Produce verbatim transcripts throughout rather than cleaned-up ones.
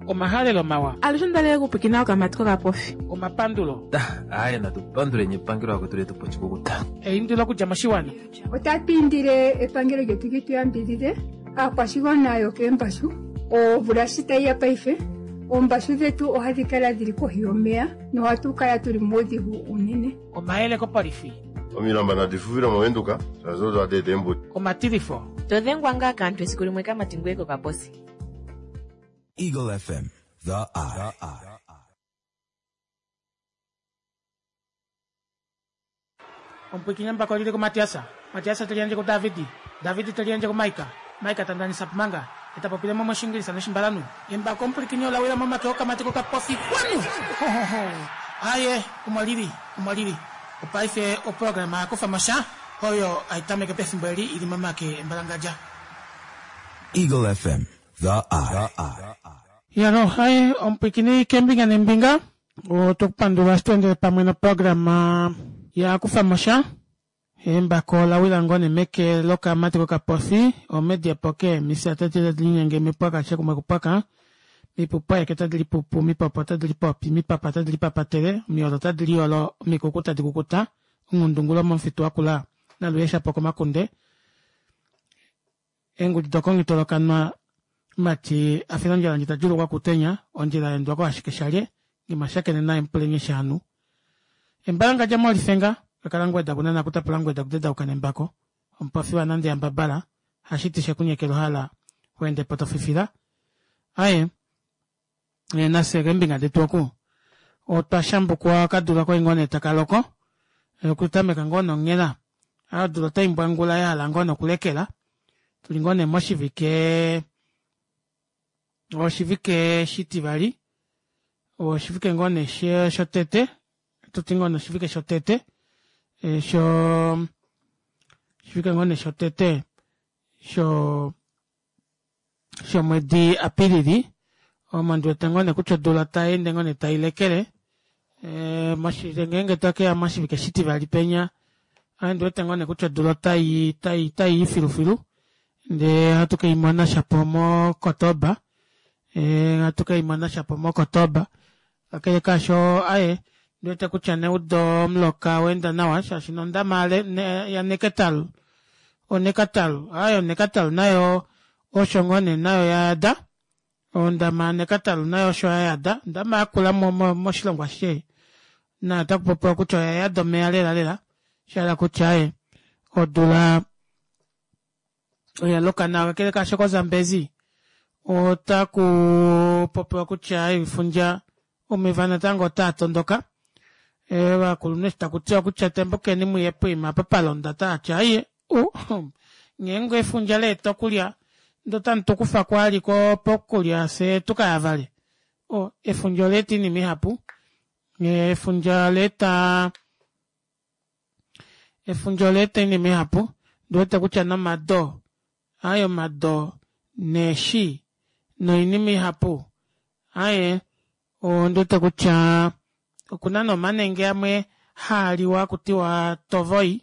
Omahalelo mawa. Alushe ondalele okupwiikina okamati kokapofi. Omapandulo. Aaye natupanduleni epangelo lakwetu letupa oshikukuta. Eindilo okudja moshiwana. Otatu indile epangelo lyetu li tu yambidhidhe aakwashigwana yokeembashu. Omvula shi tayi ya paife, oombashu dhetu ohadhi kala dhili kohi yomeya nohatu kala tuli muudhigu uunene. Omayele kopolifi. Omilamba nadi fufile mOvenduka, shaashi odo hadi eta eembuto. Omatilifo. To dhengwa ngaa kaantu esiku limwe kamati ngoye kokaposi. Eagle F M, The Eye. Omupwikinyi embako lili kuMatiasa, Matiasa te liyandje kuDavidi, Davidi te liyandje kuMaika, Maika ta ndanisa Pumanga, ye ta popile mo mOshingilisa nOshimbalanhu. Embako omupwilikini ola wila momake okamati kokapofi kwanu! Ho, ho, ho! Aaye, omo li li, omo li li. Opaife oprograma ya kufa mo sha, oyo hai tameke pefimbo eli i li momake embalangadja. Eagle F M, The Eye. Yalo, aye, omupwiikini keembinga neembinga, otwe ku pandula eshi to endele pamwe noprograma ya kufa mo sha. Embako ola wila ngoo nee meke lokamati kokapofi, omedi epoke, mifya tadi tadi linyenge mipwaka keshe kumwe kupwaka, mipupu aeke tadi lipupu, mipopo tadi lipopi, mipapa tadi lipapatele, omiolo tadi liolo, omikuku tadi kukuta, onghundungulo momufitu wakula, naluye shapo komakunde, eengudi dokongitolokanwa, omati a fila ondjala ndji ta djuulukwa kutenya, ondjila ya endwa koashike shalye, ngimashakene naye mupulenye shaanhu. Embalangadja molifenga, kakala ngweda kunana kutapula ngweda kudedauka nembako, omupofi wanande yambabala, hashiti shekunyekela ohala weende po tofifila. Aye, nafye keembinga detu oku otwa shambukwa okadula kwali ngoo nee taka loko, okutameka ngoo nonghela, odula otai mbwangula yahala ngoo nokulekela, tuli ngoo nee moshivike oshivike shitivali, oshivike ngoo nee shotete, ohatuti ngoo nee oshivike shotete, sho oshivike ngoo nee shotete sho shomwedi Apilili, omo ndiwete ngoo nee kutya odula otayeende ngoo nee tailekele, ngeenge tokeya moshivike shitivali penya ame ondiwete ngoo nee kutya odula otai otai filufilu ndee ohatu keimona shapo mo Kotoba ohatu keimona shapo mo Kotoba kakele kaasho aaye ondiwete kutya neudo omuloka owaenda nawa shaashi nondama ya Nekatal o Nekatal aaye o Nekatal nayo osho ngoo nee nayo yayada ondama ya Nekatal nayo osho yayada ondama yakula moshilongo ashishe nayo otakupopiwa kutya oyayada omeva lela lela shahala kutya aaye odula oyaloka nawa kakele kaasho ko Zambezi otaku popiwa kutya efundja omeva natango otaa tondoka ovakulunhu eshi takutiwa kutya tembukeni muye poima apa palonda otaati aiye ngeenge efundja leeta okulya ndee otamu tukufa ali pokulya fyee tukayavale efundja olaeta oinima ihapu efundja olaeta efundja olaeta oinima ihapu ondiwete kutya nomado aaye omado neeshi noinima ihapu aaye ondiwete kutya okuna nee omanenge amwe haaliwa hakutiwa tovoi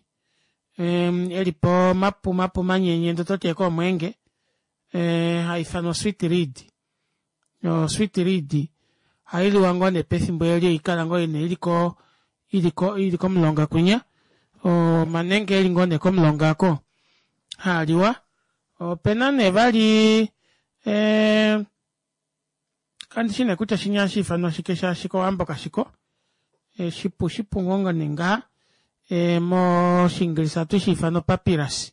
elipo mapu mapu manyenye ndee ototi ashike omweenge haifanwa o sweet reed o sweet reed ohailiwa ngoo nee pefimbo eli haikala ngoo nee iliko iliko ili komulonga kwinya omanenge eli ngoo nee komulonga aako haaliwa opena nee vali ee kandishi nee kutya shinya ohashiifanwa shike shaashi kowambo kashiko shipu shipu ngoo nee ngaha moshiingilisa ohatu shiifana o papyrus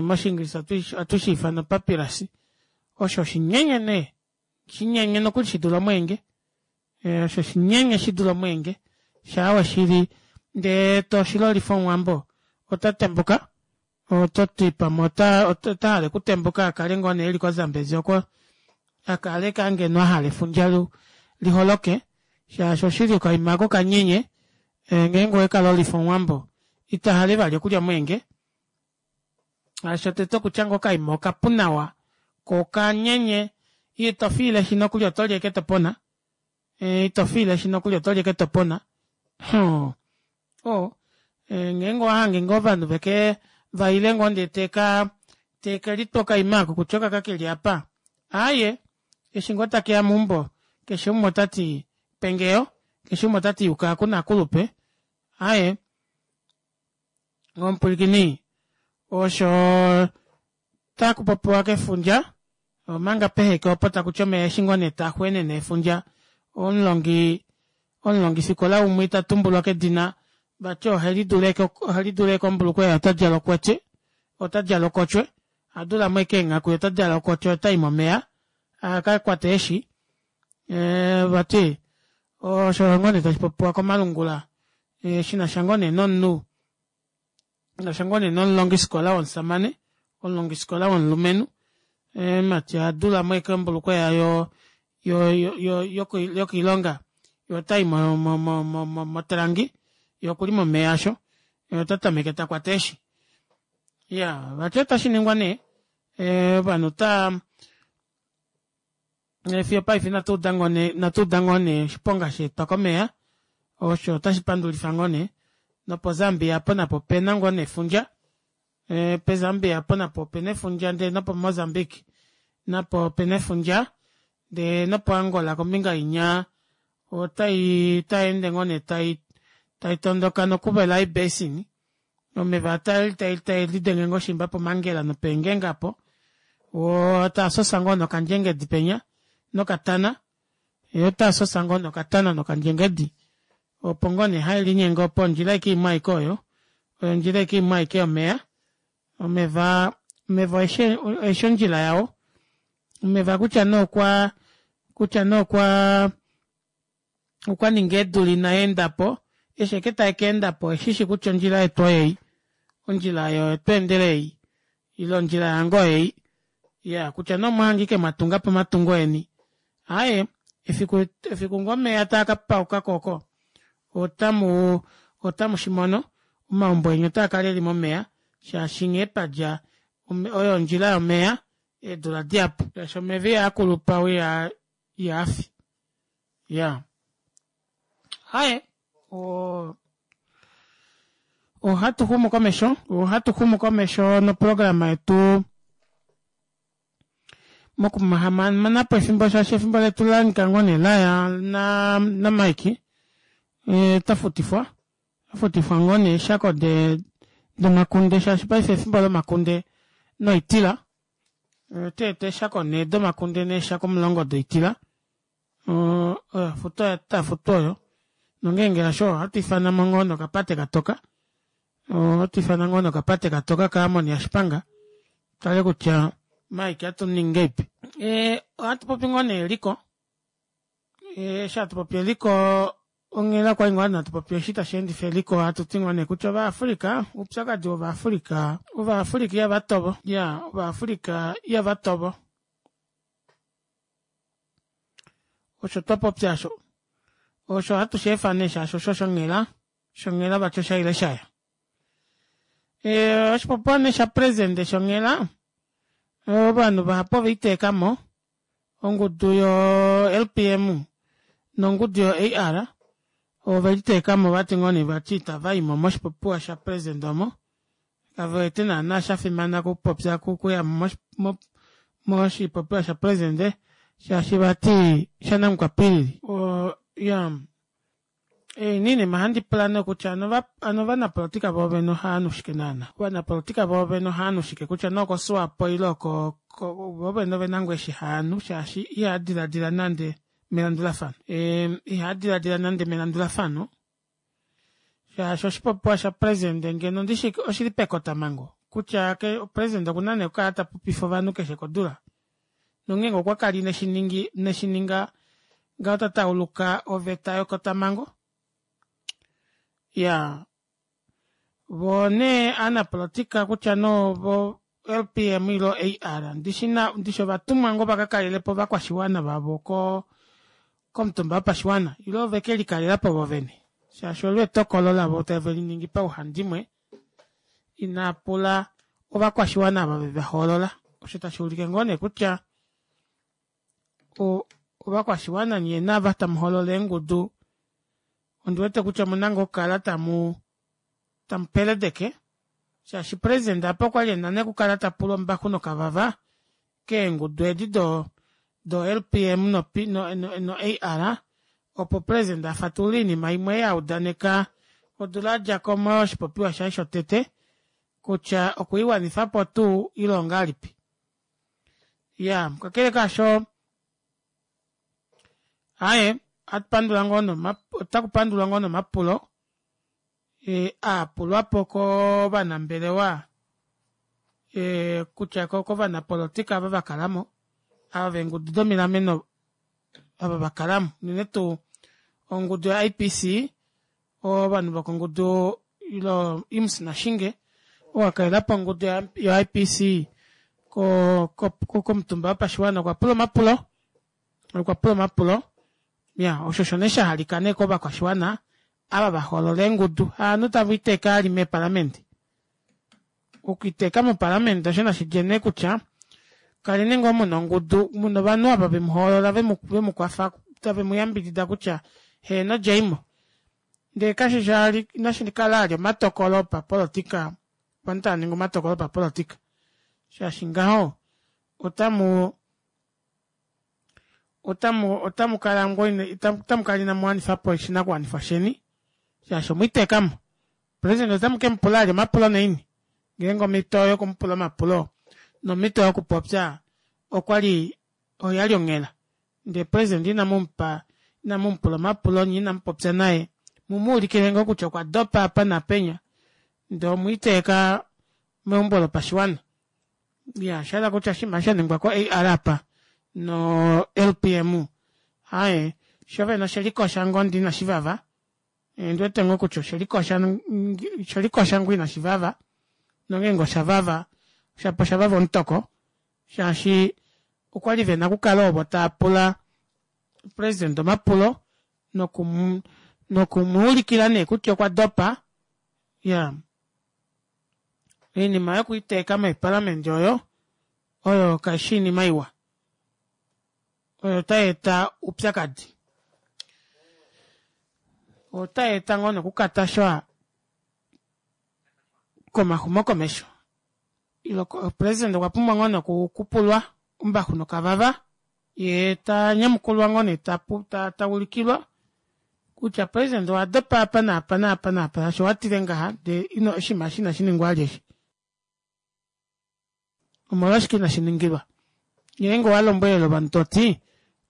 moshiingilisa ohatu shiifana o papyrus osho oshinyenye nee shinyenye nokuli shidule omweenge osho shinyenye shidule omweenge shaa weshili ndee toshilolifa omuwambo otatembuka ototi pamwe otahala okutembuka akale ngoo nee eli ko zambezi oko akale ngeno ahala efundja liholoke shaashi oshili okaima aako okanyenye ngeenge owekalolifa omuwambo itahale vali okulya omweenge shaashi shotete okutya ngoo okaima okapu nawa koo okanyenye ito fiileshi nokuli otoli ashike topona ito fiileshi nokuli otoli ashike topona oo ngeenge owahange ngoo ovanhu veke vaile ngoo ndee teka tekelitwa okaima aako kutya okaka keli aapa aaye Eshi ngoo takeya meumbo keshe umwe otati pengeyo keshe umwe otati yuka oku nakulupe aaye omupwilikini osho takupopiwa kefundja omanga peheke opo takuti omeva eshi ngoo nee taaxweenene efundja omulongi omulongifikola umwe itatumbulwa kedina vati ohelidula ashike ombulukweva otadjala okotye otadjala okotye ohadulamo ashike eenghaku yee otadjala okotye otayi momeva akakwate eeshi ee vati osho ngoo nee tashipopiwa komalungula shinasha ngoo nee nomunhu shinasha ngoo nee nomulongifikola womushamane omulongifikola womulumenhu omumati ohadulamo ashike ombulukweva yo- yo- yo yokoilonga yee otayi mo- mo- mo motalangi yee okuli momeva aasho yee otatameke takwata eeshi iyaa vati otashiningwa nee ovanhu otaa fiyo opaife inatuuda ngoo nee oshiponga shaetwa komeva osho ota shipandulifa ngoo nee nopo zambia aapo napo opena ngoo nee efundja po zambia aapo napo opena efundja ndee nopo mozambique napo opena efundja ndee nopo angola kombinga inya otayeende ngoo nee taitondoka noCuvelai basin omeva otaelidenge ngoo shiimba pomangela nopeengenge aapo woo taasosa ngoo nokandjengedi penya nokatana yee otaasosa ngoo nokatana nokandjengedi opo ngoo nee haelinyenge opo ondjila ashike imwe aike oyo oyo ondjila ashike imwe aike yomeva omeva omeva oeshi ondjila yao omeva kutya nee okwaa kutya nee okwaa okwaninga eedula inaendapo eshi ashike taakeendapo oeshishi kutya ondjila yetu oyeyi ondjila oyo tweendela eyi ile ondjila yange oyeyi iyaa kutya nee omwahanga ashike mwatungapo omatungo eni aaye efiku efiku ngoo omeva taakapaukako ooko otamuu otamushimono omaumbo eni otaakala eli momeva shaashi nghee padja oyo ondjila yomeva eedula dihapu shaashi omeva ihaakulupa woo ihaafi iyaa aaye oo ohatuxumu komesho ohatuxumu komesho noprograma yetu mokuhamanapo efimbo shaashi efimbo letu olahangika ngoo nee laya na namike otafutifwa otafutifwa ngoo nee eeshako domakunde shaashi paife efimbo lomakunde noitila otaeta eeshako nhee domakunde neeshako omulongo doitila oyo ofuto taafutu oyo nongenge hasho ohatu ifanamo ngoo nokapate katoka ohatu ifana ngoo nokapate katoka ka amon yashipanga tutale kutya mike ohatuningi ngahelipi ee ohatupopi ngoo nee eliko eshi hatupopi eliko onghela okwali ngoo hatupopi eshi tasheendifa eliko hatuti ngoo nee kutya ova africa oupyakadi wova africa ova africa ihavatovo iyaa ova africa ihavatovo osho twapopya aasho osho ohatu sheefa nee shaashi osho shonghela shonghela vati oshaile shaya ee oshipopiwa nee shapresident shonghela ovanhu vahapu oveliteekamo ongudu yo L P M nongudu yo A R oveliteekamo ovati ngoo nee vati itavaimo moshipopiwa sha president omo kavewete naana shafimana okupopya okuyamo moshipopiwa sha president shaashi vati shanamukwapilili iyaa oinima ohandipula nee kutya hano ovanapolitika voovene ohaanu shike naana ovanapolitika voovene ohaanu shike kutya nee oko swapo ile oko voovene ovena ngoo eshi haanu shaashi ihaadilaadila nande melandulafano ihaadilaadila nande melandulafano shaashi oshipopiwa sha president ngeno ndishi oshili pakotamango kutya president okuna nee okukala tapopifa ovanhu keshe kodula nongeenge okwakala ineshininga ineshininga ngaho ota tauluka oveta yekotamango iyaa voo nee ovanapolitika kutya nee ovo L P M ile A R ndishi ndishi ovatumwa ngoo vakakalelepo ovakwashiwana vavo koo komutumba wopashiwana ile ovekelikalelapo voo vene shaashi olo etokolo lavo taveliningi pauhandimwe inaapula ovakwashiwana ava vevahoolola osho tashuulike ngoo nee kutya ovakwashiwana nyee naava tamuhoolola eengudu ondiwete kutya omuna ngoo okukala tamu tamupeledeke shaashi president aapa okwali ena nee okukala tapula ombaxu nokavava keengudu edi Do L P M no P, no, no, no A R opo president afatulule oinima imwe yaudaneka odula yadjako moshipopiwa shaye shotete kutya okwiiwanifapo tuu ile ongahelipi. Iyaa kakele kaasho aaye ohatupandula ngoo nee otakupandulwa ngoo nee omapulo aapulwapo kovanambelewa kutya kovanapolitika ava vakalamo ava veengudu domilameno ava vakalamo unene tuu ongudu yo I P C ovanhu vokongudu ile Imms Nashinge ou akalelapo ongudu yo I P C ko- komutumba wopashiwana okwapula omapulo okwapula omapulo iyaa osho osho nee shahalika nee kovakwashiwana ava vahoolola eengudu havanhu taveliteeke vali meepalamende okwiiteeka mopalamende osho nashidje nee kutya kaleni ngoo muna ongudu muna ovanhu ava vemuhoolola vemukwafa tave muyambidida kutya heeno djaimo ndee kashishi vali inashikala vali omatokolo opapolitika ovanhu tavaningi omatokolo opapolitika shaashi ngaho otamu otamu otamukala ngoo otamukala inamuwanifapo oshinakuwanifwa sheni shaashi omwiiteekamo. President otamukemupula vali omapulo naini ngeenge omito yokumupula omapulo nomito yokupopya okwali oyali onghela ndee president inamumupa inamumupula omapulo nyee inamupopya naye mumuulikile ngoo kutya okwa dopa apa naapenya ndee omwiiteeka meumbo lopashiwana. Iyaa oshahala kutya oshinima eshi shaningwa ko A R aapa no L P M aaye shoovene oshelikosha ngoo ndee inashivava ondiwete ngoo kutya oshelikosha ngoo inashivava nongeenge oshavava shapo oshavava omutoko shaashi okwali vena okukala ovo taapula president omapulo noku nokumuulikila nee kutya okwadopa iyaa oinima yokwiiteeka meepalamende oyo oyo kaifi oinima iwa oyo otayeeta oupyakadi otayeeta ngoo nee okukatasha komaxumokomesho ile president okwapumbwa ngoo nee okupulwa ombaxu nokavava yee tanyamukulwa ngoo nee taulikilwa kutya president owadopa apa naapa naapa naapa shaashi owatile ngaha ndee oshinima eshi inashiningwa vali eshi omolwashike inashiningilwa ngeenge owalombwelele ovanhu toti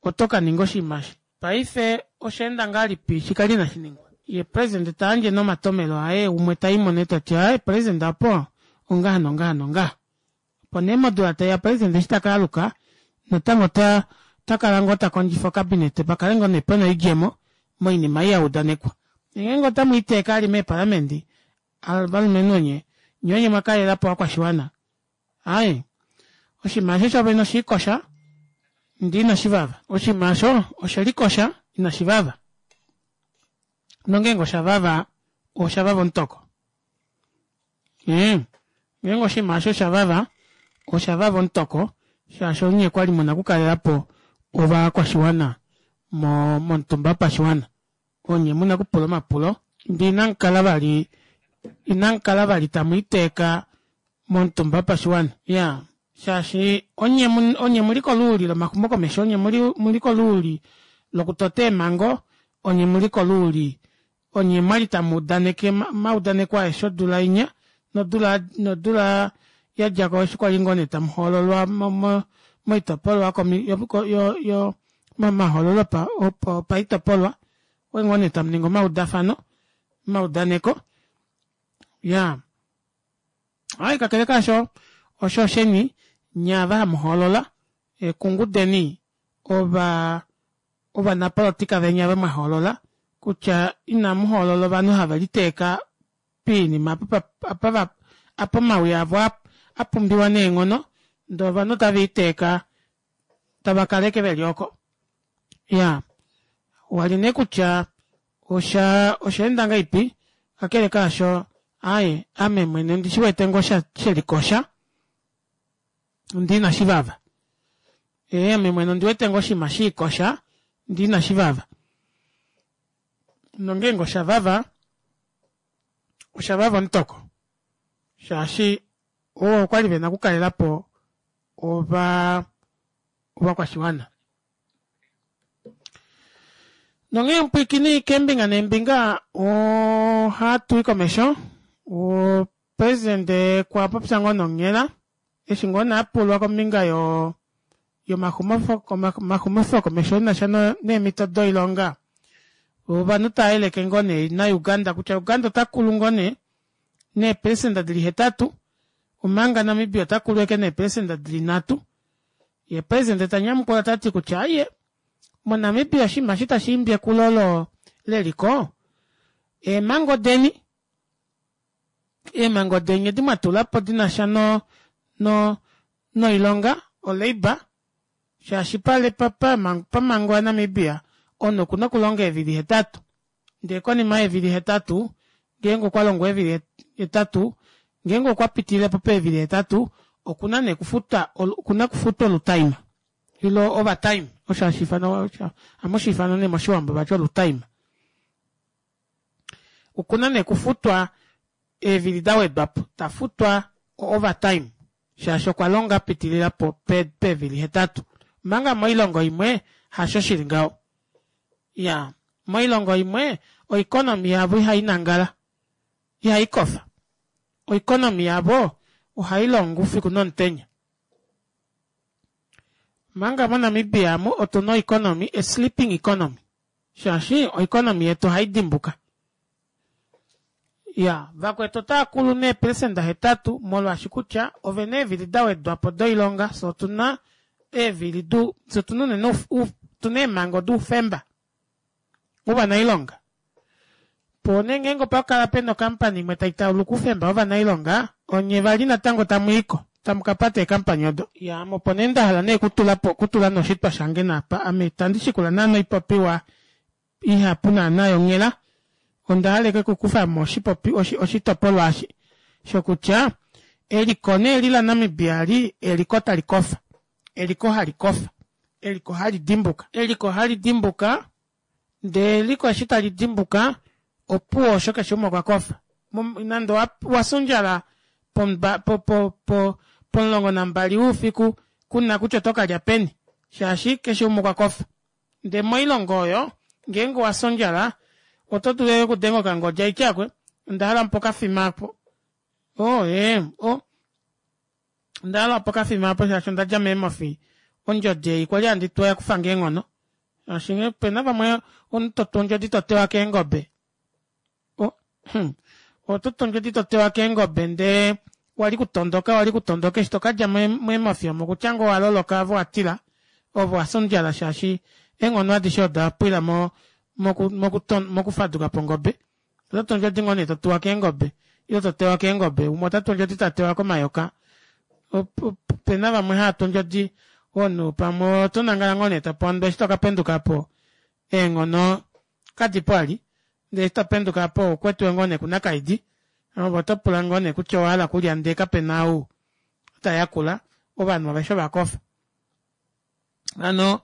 oto kaninga oshinima eshi paife oshaenda ngahelipi shikale inashiningwa yee president tayandje nee omatomelo aye umwe taimo nee tati aaye president aapo ongaha nongaha nongaha opo nee modula taiya president eshi takaaluka natango ota otakala ngoo takondjifa ocabinet pakale ngoo nee pena oidjemo moinima ei yaudanekwa ngeenge otamwiiteeke vali meepalamende ovalumenhu onye nyee onye mwakalelapo ovakwashiwana aaye oshinima aasho shoovene oshiikosha ndee inashivava oshinima aasho oshelikosha inashivava nongeenge oshavava oshavava omutoko ee ngeenge oshinima aasho oshavava oshavava omutoko shaashi onye kwali muna okukalelapo ovakwashiwana mo momutumba wopashiwana onye muna okupula omapulo ndee inamukala vali inamukala vali tamwiiteeka momutumba wopashiwana iyaa shaashi onye onye muli koluuli lomaxumokomesho onye muli koluuli lokutota eemango onye muli koluuli onye mwali tamuudaneke omaudaneko aeshe odula inya nodula nodula yadjako eshi kwali ngoo nee tamuhoololwa moitopolwa yo yo momahoololo opaitopolwa okwali ngoo nee tamuningi omaudafano omaudaneko iyaa aaye kakele kaasho osho osheni nyee ava hamuhoolola kungudeni ova ovanapolitika veni ava mwahoolola kutya inamuhoolola ovanhu haveliteeka poinima apa apa omawi avo apumbiwa neenghono ndee ovanhu otaveliteeka tavakala ashike veli oko iyaa wali nee kutya osha oshaenda ngahelipi kakele kaasho aaye ame mwene ondishiwete ngoo shelikosha ndee inashivava ee ame mwene ondiwete ngoo oshinima shiikosha ndee inashivava nongeenge oshavava oshavava omutoko shaashi ovo okwali vena okukalelapo ovaa ovakwashiwana Nonghee omupwiikini keembinga neembinga ohatui komesho president okwapopya ngoo nonghela eshi ngoo nee apulwa kombinga yoo yomaxumifo komesho enasha neemito doilonga ovanhu tavayeleke ngoo nee na uganda kutya uganda otakulu ngoo nee neepelecenter dili hetatu omanga namibia otakulu ashike neepelecenter dili nhatu yee president tanyamukula tati kutya aaye mo namibia oshinima eshi tashiimbi ekulo leliko eemango deni eemango deni edi mwatulapo dinasha no no noilonga o labour shaashi pamango ya namibia omunhu okuna okulonga eevili hetatu ndee konima yeevili hetatu ngeenge okwalongo eevili hetatu ngeenge okwapitililepo peevili hetatu okuna nee okufuta okuna okufuta olutaima ile overtime osho hashiifanwa ohamushiifana nee moshiwambo vati olutaima okuna nee okufutwa eevili dawedwapo tafutwa o overtime shaashi okwalonga apitilila peevili hetatu omanga moilongo imwe hasho shili ngaho iyaa moilongo imwe o economy yavo ihainangala ihaikofa o economy yavo ohailongo oufiku nomutenya omanga mo namibia aamu otuna o economy a sleeping economy shaashi o economy yetu ohaidimbuka iyaa vakwetu otaakulu neepelecenter hetatu molwaashi kutya ovena eevili dawedwapo doilonga fyee otuna eevili fyee otuna unene otuna eemango doufemba wovanailonga poo nee ngenge opakala pena o company imwe taitauluka oufemba wovanailonga onye vali natango tamwiiko tamukapata ee company odo iyaa ame opo nee ndahala nee okutulapo okutula nee oshitwa shange naapa ame itandi shikula naana oipopiwa ihapu naana yonghela ondahala ashike okukufamo oshitopolwa eshi shokutya eliko nee eli la namibia eli eliko talikofa eliko halikofa eliko halidimbuka eliko halidimbuka ndee eliko eshi talidimbuka opuwo osho keshe umwe okwakofa nande owafya ondjala pomulongo nambali woufiku kuna kutya otokalya peni shaashi keshe umwe okwakofa ndee moilongo oyo ngeenge owafya ondjala oto dulu ashike okudenga okangodi haiti aakwee ondahala mupe okafima aapo oo ee o ondahala mupe okafima aapo shaashi ondadja meemofi ondjodi ei kwali handi tuwa oyakufange eenghono shaashi opena vamwe omunhu totu ondjodi totewa keengobe ototu ondjodi totewa keengobe ndee wali kutondoka wali kutondoka eshi tokadja meemofi omo okutya ngoo owaloloka ove owatila ove owafya ondjala shaashi eenghono adishe odapwila mo mokufadukapo ongobe ototu ondjodi ngoo nee totuwa keengobe ile totewa keengobe umwe otatu ondjodi tatewa komayoka opena vamwe haatu ondjodi omunhu pamwe otonangala ngoo nee topondwa eshi tokapendukapo eenghono kadipo vali ndee eshi topenduka aapo oukwetiwe ngoo nee kunakaidi ove otopula ngoo nee kutya owahala okulya ndee kapena ou tayakula ovanhu aveshe ovakofa hano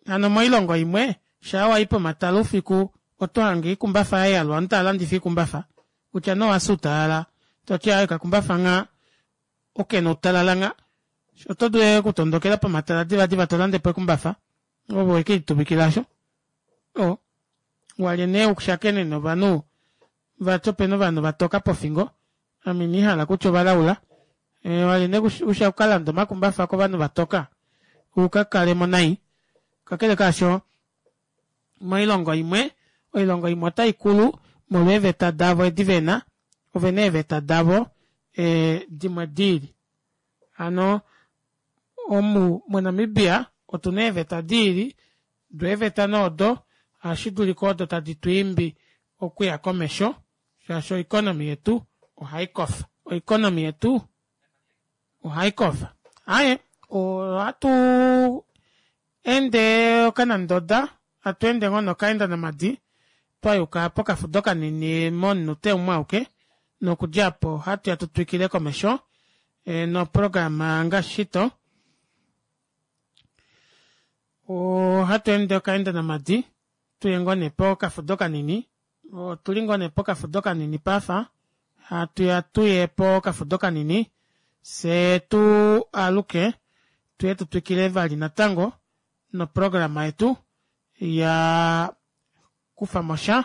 hano moilongo imwe shaa wayi pomatala oufiku otohange oikumbafa yayalwa ovanhu tavalandifa oikumbafa kutya nee owafya outalala toti aaye okakumbafa ngha okena outalala ngha oto dulu ashike okutondokela pomatala divadiva tolandepo ekumbafa ove wekelituvikila aasho oo walye nee ushakene novanhu vati opena ovanhu vatoka pofingo ame indihala kutya ovalaula walye nee ukalande omakumbafa kovanhu vatoka ukakalemo nai kakele kaasho moilongo imwe oilongo imwe otaikulu molwa eeveta davo edi vena ovena eeveta davo dimwe diili hano omu mo namibia otuna eeveta diili doo eeveta nee odo ohashidulika odo tadi twiimbi okuya komesho shaashi o economy yetu ohaikofa o economy yetu ohaikofa aaye ohatu ende okanandoda hatweende ngoo nokaenda namadi twayuka pokafudo kanini momunute umwe auke nokudja aapo ohatuya tutwikile komesho noprograma ngaashi shito ohatu ende okaenda namadi tuye ngoo nee pokafudo kanini otuli ngoo nee pokafudo kanini paife hatuya tuye pokafudo kanini fyee tu aluke tuye tutwikile vali natango noprograma yetu ya kufamo sha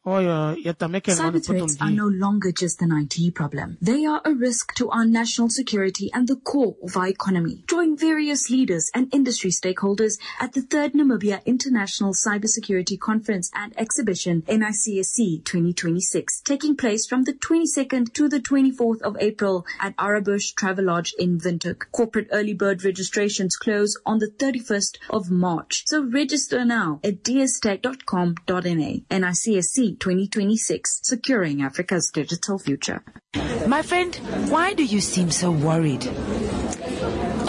oyo ya tamekele Cyber threats are no longer just an I T problem. They are a risk to our national security and the core of our economy. Join various leaders and industry stakeholders at the third Namibia International Cybersecurity Conference and Exhibition, N I C S C twenty twenty-six, taking place from the twenty-second to the twenty-fourth of April at Arabush Travelodge in Windhoek. Corporate early bird registrations close on the thirty-first of March. So register now at d s tech dot com dot n a. N I C S C twenty twenty-six, securing Africa's digital future. My friend, why do you seem so worried?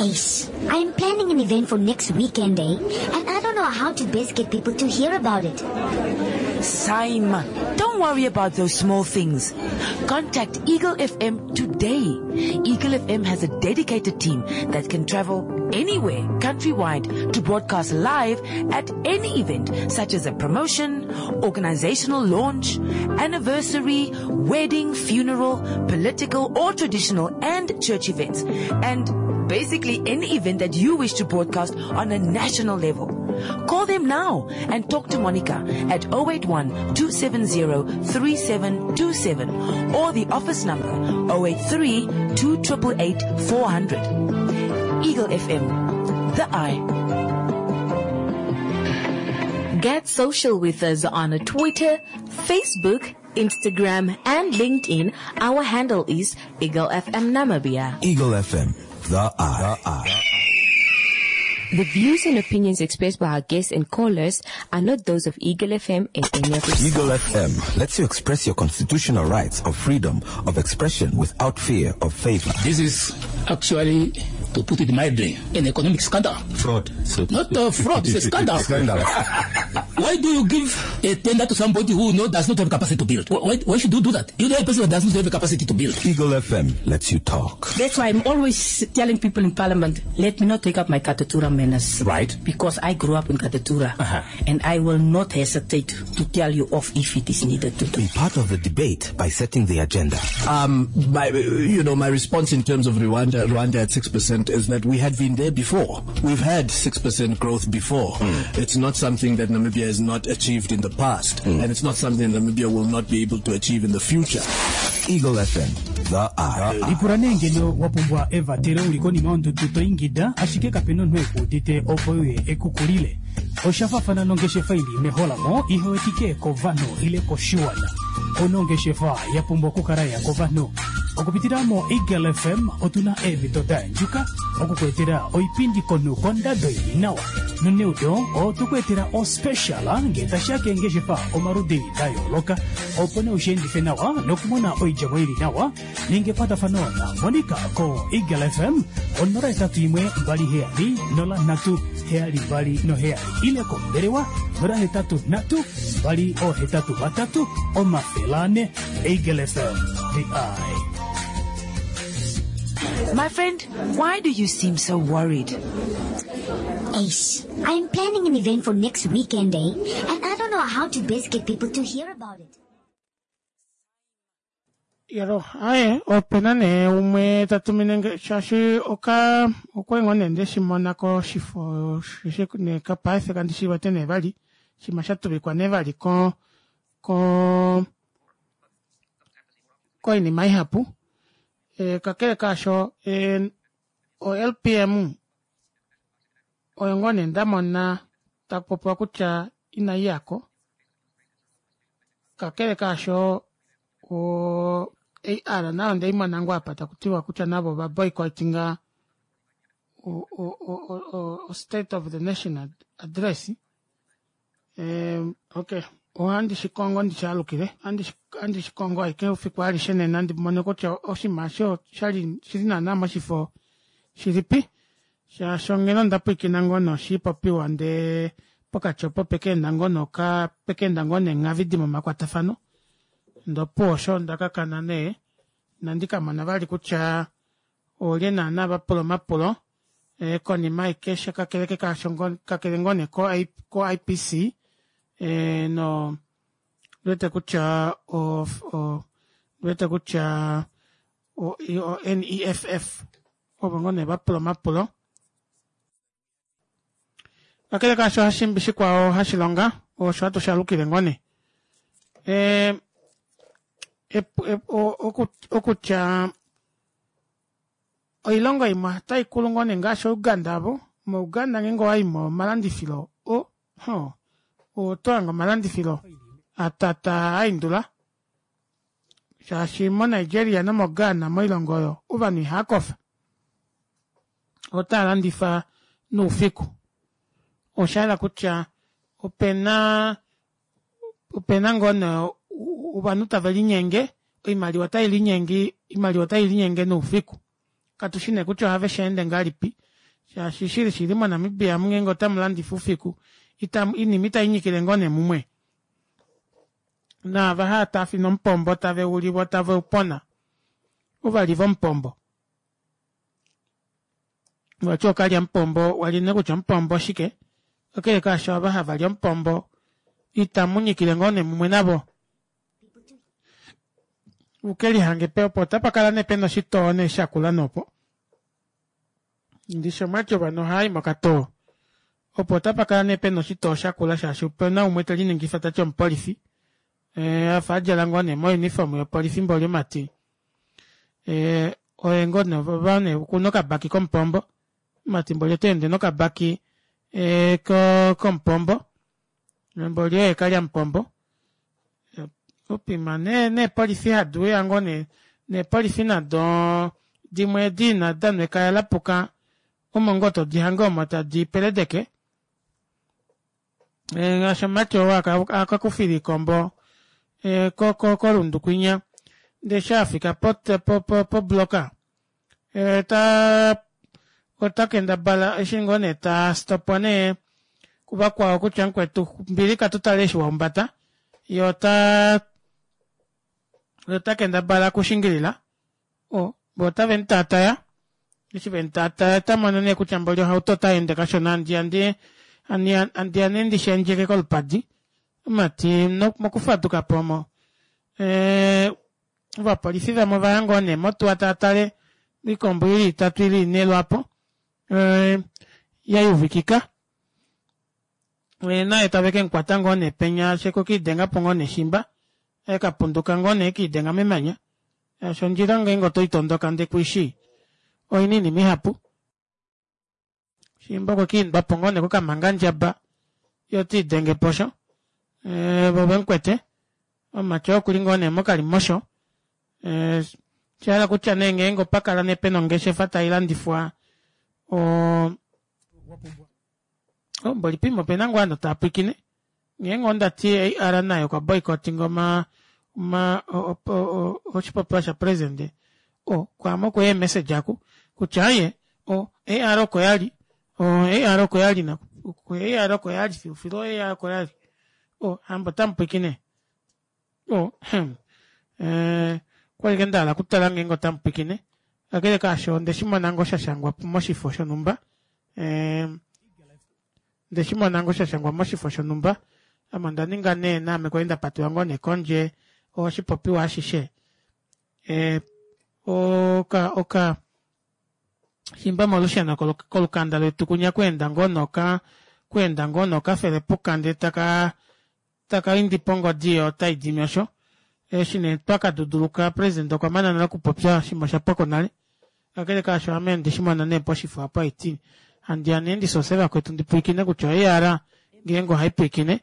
Ace, I'm planning an event for next weekend, eh? And I don't know how to best get people to hear about it. Saima, don't worry about those small things. Contact Eagle F M today. Eagle F M has a dedicated team that can travel anywhere, countrywide, to broadcast live at any event, such as a promotion, organizational launch, anniversary, wedding, funeral, political or traditional and church events, and basically any event that you wish to broadcast on a national level. Call them now and talk to Monica at oh eight one, two seven zero, three seven two seven or the office number oh eight three, two triple eight, four hundred. Eagle F M, the eye. Get social with us on Twitter, Facebook, Instagram, and LinkedIn. Our handle is Eagle F M Namibia. Eagle F M, the eye. The eye. The views and opinions expressed by our guests and callers are not those of Eagle F M and any of its Eagle F M lets you express your constitutional rights of freedom of expression without fear of favor. This is actually, to put it mildly, an economic scandal. Fraud. So Not a fraud, it's a scandal. Scandal. Why do you give a tender to somebody who no, does not have capacity to build? Why, why should you do that? You know a person who does not have the capacity to build. Eagle F M lets you talk. That's why I'm always telling people in Parliament, let me not take up my Katutura manners. Right. Because I grew up in Katutura. Uh-huh. And I will not hesitate to tell you off if it is needed to do. Be part of the debate by setting the agenda. Um, my, you know, my response in terms of Rwanda, Rwanda at six percent is that we had been there before. We've had six percent growth before. Mm. It's not something that Namibia has not achieved in the past, mm. and it's not something Namibia will not be able to achieve in the future. Eagle F M, the eye. Lipula nee ngeno wa pumbwa evatelo uli konima yondudu to ingida, ashike kapena omunhu ekuudite opo uye ekukulile. Oshafafana nongeshefa ili meholamo ihewetike kovanhu ile koshiwana. Onongeshefa ya pumbwa okukala ya kovanhu. Okupitila mo Eagle F M otuna eemhito da yandjuka okukwetela oipindi konu kondado ili nawa. Noneudo otukwetela ospecial ngee tashiya keengeshefa omaludi da yooloka opo nee ushiendife nawa nokumona oidjemo ili nawa. Ninga ekwatafano na Monica ko Eagle F M onola etatu imwe mbali heyali nola nhatu heyali mbali noheyali ile kombelewa nola hetatu nhatu mbali ohetatu vatatu omafele ane. Eagle F M, the eye. My friend, why do you seem so worried? Ace, I'm planning an event for next weekend, eh? And I don't know how to best get people to hear about it. Yalo, aye, opena nee umwe ta tumine nge, shaashi oka, okwa ngoo nee ndeshi mona koshifo, shishi ne kapaife kandi shi wete nee vali, shima sha tuvikwa nee vali ko, ko, koinima ihapu. E, kakele kaasho, e, o L P M oyo ngoo nee nda mona taku popiwa kutya inayi yako. Kakele kaasho, o A R nayo ndei mona ngoo apa taku tiwa kutya navo va boycottinga o, o, o, o, o State of the Nation address. E, okay. Ohandi shikongo ndi shalukile. Andi andi shikongo aike ufiku alishe nena ndi mone kutya oshinima osho shali shili naana moshifo shilipi. Shaashi ngeno nda pwiikina ngoo noshipopiwa ndee pokati opo pekeenda ngoo noka pekeenda ngoo neenghavidi momakwatafano. Ndopo osho ndakakana nee nandi kamona vali kutya olye naana vapula omapulo e, konima aike shakakeleke kaasho kakele ngoo nee ko I P C e, no lwete kutya o, o lwete kutya o, o N E F F ovo ngoo nee vapula omapulo. Kakele kaasho hashimbi shikwao hashilonga osho hatu shalukile ngoo nee. Ee okutya oilongo imwe otaikulu ngoo nee ngaashi Uganda avo, mo Uganda ngeenge owayi momalandifilo o ho otohange omalandifilo atata aindula shaashi mo Nigeria nomo Ghana moilongo oyo ovanhu ihaakofa otaalandifa noufiku. Oshahala kutya opena opena ngoo nee ovanhu tavelinyenge oimaliwa otailinyenge oimaliwa otailinyenge noufiku katushi nee kutya ohave sheende ngahelipi shaashi shili shili mo Namibia omu ngeenge otamulandifa oufiku oinima itainyikile ngoo nee mumwe naava haatafina omupombo taveuli voo taveupona ovali vomupombo vati okalya mupombo wali nee kutya omupombo oshike kakele kaasho ava havali omupombo itamunyikile ngoo nee mumwe navo ukelihange opo otapakala nee pena oshitoo nee shakula nopo ndishi omwati ovanhu ohaayi mokatoo opo otapakala nee pena oshitoo shakula shaashi opena umwe teliningifa tati omupolifi afa adjala ngoo nee mo uniform yopolifi mboli omati oye ngoo nee okuna okabaki komupombo omati mboli otaende nokabaki komupombo mboli oye kalyamupombo upima nee neepolifi hadiuya ngoo nee neepolifi nado dimwe edi ina danwa ekaya lapuka omo ngoo todihange omo tadi peledeke ngaashi omumati ou akakufila oikombo koRundu kwinya ndee eshi afika po block ota kendabala eshi ngoo nee tastopwa nee kuvakwao kutya mukwetu mbili katutale eshi wahumbata yee ota ota kendabala okushingilila voo otavemutaataya eshi vemutaataya otamono nee kutya mboli ohauto otayeende kashona handiya handiya nee ndishendjeke kolupadi omati mokufadukapo omo ovapolifi vamwe ovaya ngoo nee motuwa taatale oikombo ili itatu ile ine lwaapo yayuvikika naye tave kemukwata ngoo nee penya shaashi okwekiidengapo ngoo nee shimba ekapunduka ngoo nee ekiidenga memanya shaashi ondjila ngeenge otoitondoka ndee kuishii oina oinima ihapu shimba okwekiindwapo ngoo nee kokamangandjaba yee otiidengepo osho voo vemukwete omumati oo okuli ngoo nee mokalimosho oshahala kutya nee ngeenge opakala nee pena ongeshefa tailandifwa oo mboli poima opena ngoo ovanhu taapwiikine ngeenge ondati A R naye okwa boycottinga oma oma oshipopiwa sha president kwaame okweya ee message aaku kutya aaye A R oko yali A R oko yali A R oko yali filufilu A R oko yali hamba otamupwiikine okwali ashike ndahala okutala ngeenge otamupwiikine kakele kaasho ondeshimona ngoo shashangwa moshifo shonumba ondeshimona ngoo shashangwa moshifo shonumba ame ondaninga nee naame kwali ndapatelwa ngoo nee kondje oshipopiwa ashishe oka oka shimba molusheno kolukanda letu kunya kweenda ngoo noka kweenda ngoo nokafelepuka ndee taka takaindi pongodi yoo otaidimi osho eshi nee twakaduduluka president okwa mana nale okupopya oshinima oshapwako nale kakele kaasho ame ondeshimona nee poshifo apo haiti handiya nee ndisose vakwetu ndipwiikine kutya A R ngeenge ohaipwiikine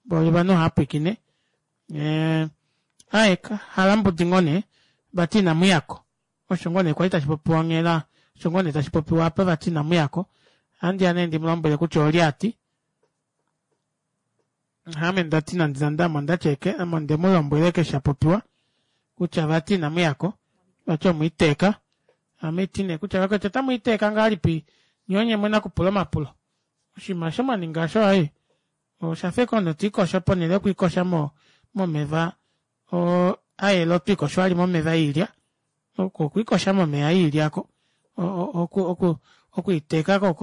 mboli ovanhu ohaapwiikine aaye halambudi ngoo nee vati inamuyako osho ngoo nee kwali tashipopiwa onghela osho ngoo nee tashipopiwa apa vati inamuyako ohandiya nee ndimulombwele kutya olye ati ame ndati nande nande ame ondati eke ame ondemulombwela eke shapopiwa kutya vati inamuyako vati omwiiteeka ame iti nee kutya vakwetu otamwiiteeka ngahelipi nyee onye mwene okupula omapulo oshinima osho mwaninga osho aaye oshafa ashike omunhu tiikosho ponele yokwiikosha momeva ayela otwiikosho vali momeva oilya oko okwiikosha momeva oilya aako okwiiteeka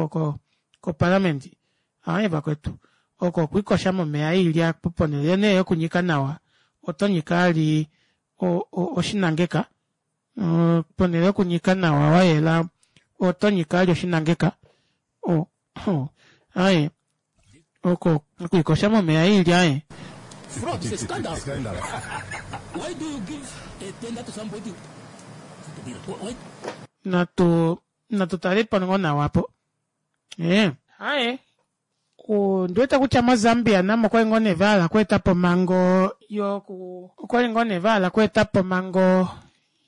koparliament aaye vakwetu oko okwiikosha momeva oilya ponele nee yokunyika nawa oto nyika vali oshinangeka ponele yokunyika nawa wayela oto nyika vali oshinangeka aaye Oko okwiikosha momeya oilya ee. Fraud is a scandal. Why do you give a tender to somebody to build? Why? Natu natu tale po ngoo nawa apo. Ee. Aye. Ondiwete kutya moZambia namo okwali ngoo nee vahala okweetapo omhango yoku okwali ngoo nee vahala okweetapo omhango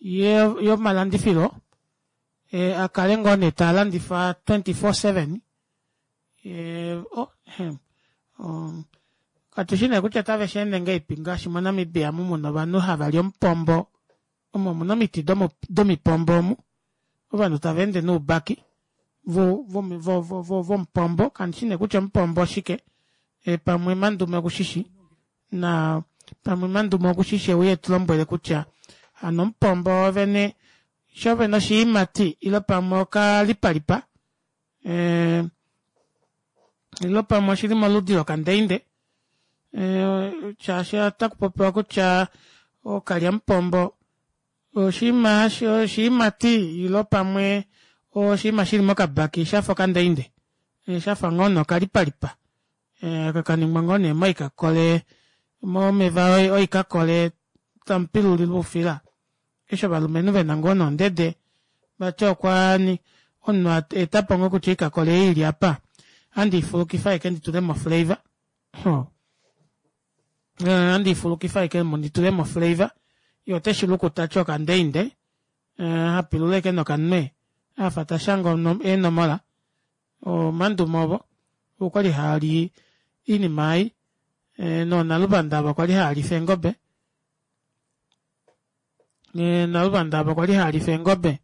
yomalandifilo e, akale ngoo nee taalandifa twenty four seven e, oh, um, katushi nee kutya otave shi ende ngahelipi ngaashi moNamibia omu muna ovanhu hava li omupombo omo omuna omiti domipombo omu ovanhu tava ende noubaki vomupombo kandi shi nee kutya omupombo oshike e, pamwe Mandume okushishi na pamwe Mandume okushishi euye etulombwele kutya hano omupombo wovene shovene oshiimati ile pamwe okalipalipa e, ile pamwe oshili moludi lokandeinde e, shaashi otakupopiwa kutya okalyamupombo oshiima oshiimati ile pamwe oshiima shili mokabaki shafa okandeinde shafa ngoo nee okalipalipa kakaningwa ngoo nee moikakole momeva oikakole tamupilulilwa oufila eshi ovalumenhu vena ngoo nondede vati okwani omunhu etapo ngoo kutya oikakole ei ili apa handi ifulukifa ashike nditulemo flavor handi ifulukifa ashike nditulemo flavor ye oteshi luku tati okandeinde hapilula ashike nokanwe afa tashanga eenomola omandume ovo okwali haali iinima ei noonaluvanda avo kwali haalifa eengobe naluvanda avo kwali haalifa eengobe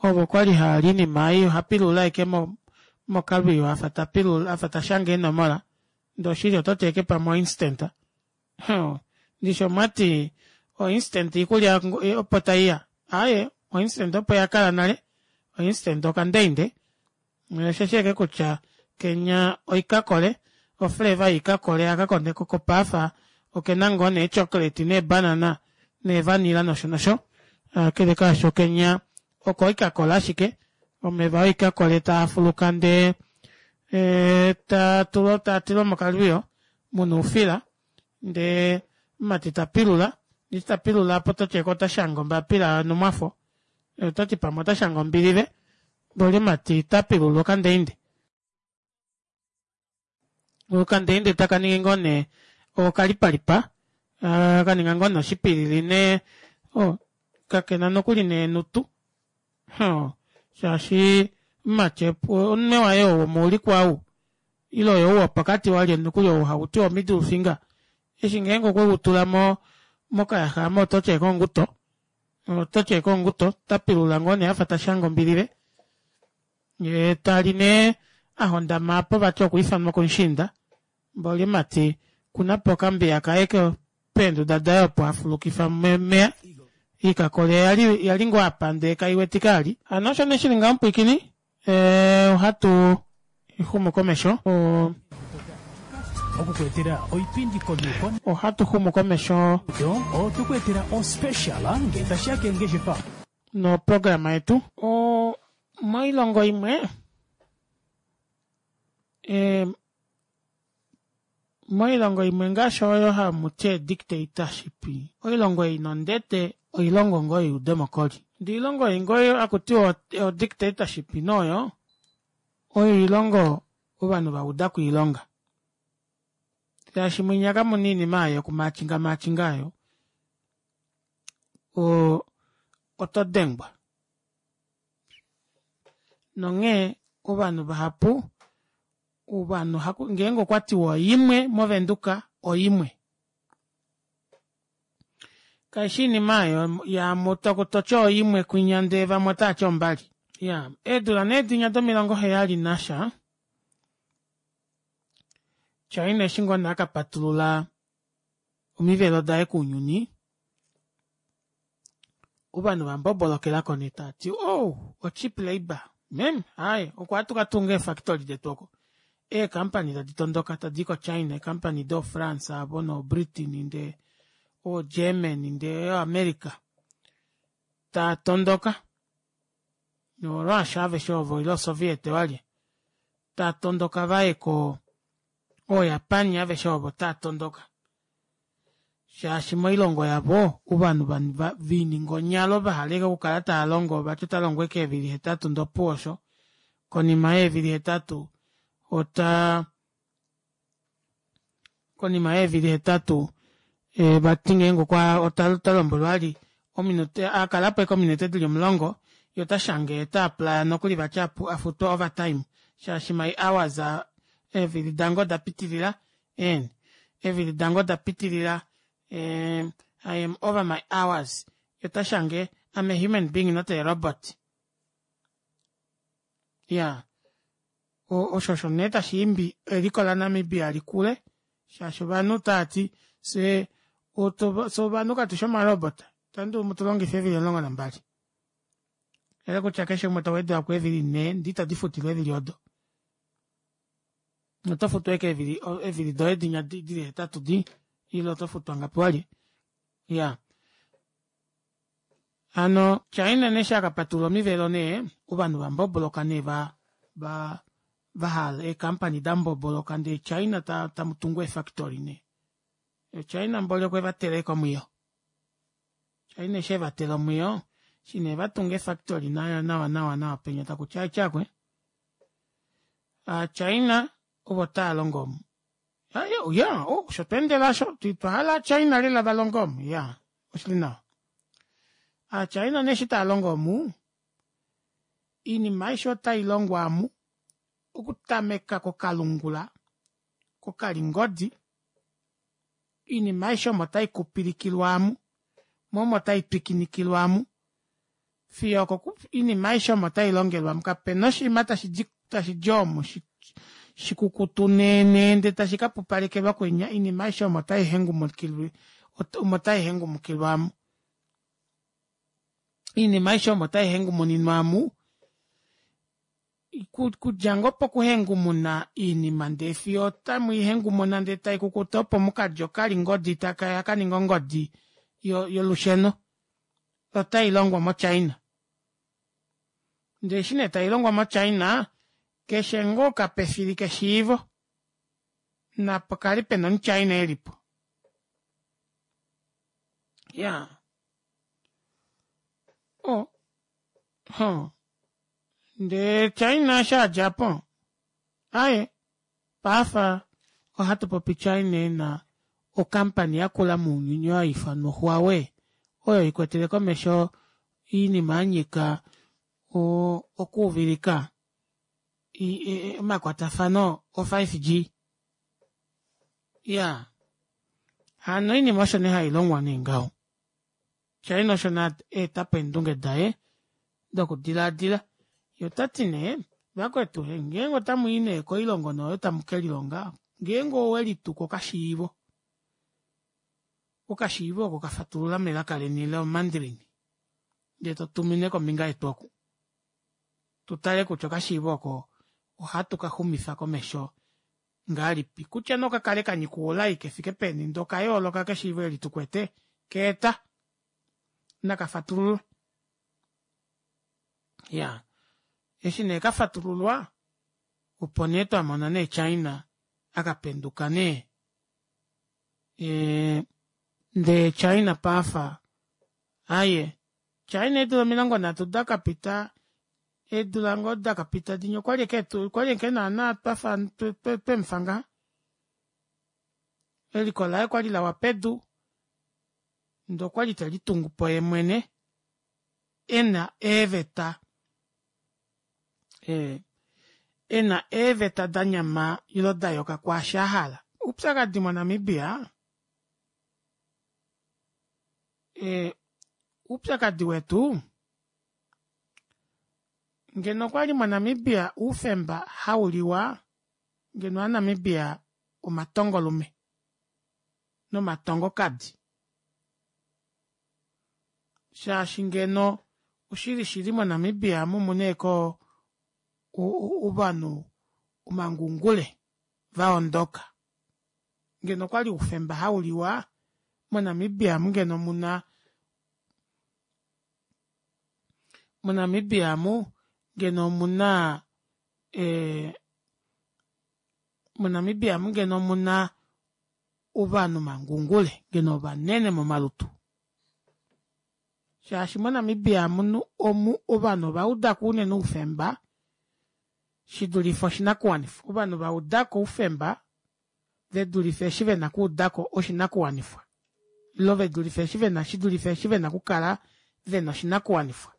ovo kwali haali iinima ei ohapilula ashike mokalwiyo afa tapilula afa tashanga eenomola ndee oshili ototi ashike pamwe oinstant ndishi omwati oinstant iikulya opo taiya aaye oinstant opo yakala nale oinstant okandeinde osheshi ashike kutya kenya oikakole oflavour yoikakole aka kopaafa okena ngoo nee chocolate neebanana neevanilla nosho nosho kakele kaasho kenya oko oikakole ashike omeva oikakole taafuluka ndee e, tatulwa tatilwa mokalwiyo muna oufila ndee omumati tapilula eshi tapilula apo ototi ashike otashanga ombapila yonhumwafo otati pamwe otashanga ombilive mboli omumati tapilula okandeinde okandeinde taka ningi ngoo nee okalipalipa kaninga ngoo nee oshipilili nee oh, kakena nokuli neenutu shaashi omumati omunwe waye oo womoulikwa ou ile oyo wopokati walye nokuli ou hakuti o middle finger eshi ngeenge okwe utula mo mokayaxa amo ototi ashike onguto ototi ashike onguto tapilula ngoo nee afa tashanga ombilive yee tali nee ahondama apo vati okwiifanwa komushiinda mboli omumati kunapo okambiya kaye peenduda daye opo afulukifa momeya oikakole yali yali ngoo apa ndee kaiwetika ali hano osho nee shili ngaho mupwiikini ohatu xumu komesho okukuetela oipindi komiuko ohatu xumu komesho otukuetela ospecial ngee tashiya keengeshefa noprograma yetu o moilongo imwe e, moilongo imwe ngaashi oyo hamuti dictatorship oilongo ei nondete oilongo ngoo youdemokoli ndee oilongo ei ngoo hakutiwa o dictatorship noyo oyo oilongo ovanhu vauda koilonga shaashi mwinya kamuna oinima aayo yokumaachinga maachinga aayo o oto dengwa nonghee ovanhu vahapu ovanhu ngeenge okwatiwa oimwe movenduka oimwe kaishi iinima aayo yamwe toti oimwe kwinya ndee vamwe otaati ombali ya eedula nee dinya domilongo heyali nasha China eshi ngoo nee akapatulula omivelo daye kounyuni ovanhu vambobolokelako nee taati oh o cheap labour meme aaye oko ohatu katunga eefactory detu oko eecompany tadi tondoka tadi ko China eecompany do France avo no Britain ndee o Germany ndee o America taa tondoka no Russia aveshe ovo ile o Soviet walye taa tondoka vaye ko Oo Japan aveshe ovo otaatondoka shaashi moilongo yavo ovanhu viininga onyalo vahala ashike okukala taalongo vati otalongo ashike eevili hetatu ndee opuwo osho konima yeevili hetatu otaa konima yeevili hetatu vati ngeenge okwa otalombwelwa vali ominute akalapo ashike ominute dili omulongo yee otashange ota apply nokuli vati afutwe overtime shaashi my hours are eevili dange odapitilila ehh eevili dange odapitilila I am over my hours yee otashange I'm a human being not a robot iyaa osho osho nee tashiimbi eliko la namibia likule shaashi ovanhu otaati fyee fyee ovanhu katufi oma robot ohamudulu mutulongife eevili omulongo nambali oshayela kutya keshe umwe towedwelwako eevili nhee ndee ito difutilwa eevili odo otofutwa ashike eevili doye dinya dili hetatu dii ile otofutwa ngapi walye iyaa hano china nee eshi akapatulula omivelo nee ovanhu vamboboloka nee va va vahala ee company damboboloka ndee china tamutungu ee factory nee china mboli okwevatela ashike omwiyo china eshi evatela omwiyo eshi nee vatunga ee factory nawa nawa nawa penya takuti aatyakwe aa china ovo taalongo omu iyaa osho tweendela aasho otwahala aa china lela valonge omu iyaa oshili nawa aa china nee eshi taalongo omu oinima aishe otailongwa aamu okutameka kokalungula kokalingodi oinima aishe omo taikupilikilwa aamu moo omo taitwikinikilwa aamu fiyo oinima aishe omo tailongelwa aamu kapena oshinima tashidi omu shikukutu nee ndee tashi kapupalekelwa kwinya oinima aishe omo taihengumukilwa aamu oinima aishe omo taihengumuninwa aamu okudja ngoo pokuhengumuna oinima ndee fiyo otamwiihengumuna ndee taikukutu opo mukadje okalingodi takeya kaninge ongodi yolusheno otailongwa mo china ndee eshi nee tailongwa mo china keshe ngoo okapefili keshiivo napakale pena omu china elipo iyaa oo hoo ndee china eshi adjapo aaye paife ohatupopi china ena o company yakula mounyuni oyo haiifanwa huawei oyo ikwetele komesho oinima yanyika okuuvilika omakwatafano o five G iyaa hano oinima osho nee hailongwa nee ngaho china osho nee aetapo eendunge daye dokudilaadila yee otati nee vakwetu ngeenge otamwii nee koilongo nee oyo tamukelilonga ngeenge owelituku okashiivo okashiivo oko kafatulula melaka leni lo mandarin ndee totumine kombinga yetu oku tutale kutya okashiivo oko ohatu kaxumifa komesho ngahelipi kutya nee okakale kanyika oulai kefike peni ndee okayooloka keshiivo eli tukwete keeta nakafatululwe iyaa eshi nee kafatululwa opo nee twamona nee china akapenduka nee ee ndee china paife aaye china eedula omilongo nhatu dakapita eedula ngoo dakapita dinya okwali ashike okwali ashike naana twafa twemufa ngaha eliko laye okwali lawa pedu ndee okwali telitungupo yeemwene ena eeveta ena eeveta danyama ile dayuka kwaashi ahala oupyakadi mo namibia ee oupyakadi wetu ngeno okwali mo namibia oufemba hauliwa ngeno ova namibia omatongolume nomatongokadi shaashi ngeno oshili shili mo namibia omu omuna ashike ovanhu omangungule vaondoka ngeno okwali oufemba hauliwa mo namibia aamu ngeno omuna mo namibia aamu ngeno omuna ee MoNamibia amu ngeno omuna ovanhu mangungule ngeno ovanene momalutu shaashi moNamibia omu omu ovanhu ovaudako unene oufemba shidulife oshinakuwanifwa ovanhu vaudako oufemba vedulife eshi vena okuudako oshinakuwanifwa ile vedulife eshi vena shidulife eshi vena okukala vena oshinakuwanifwa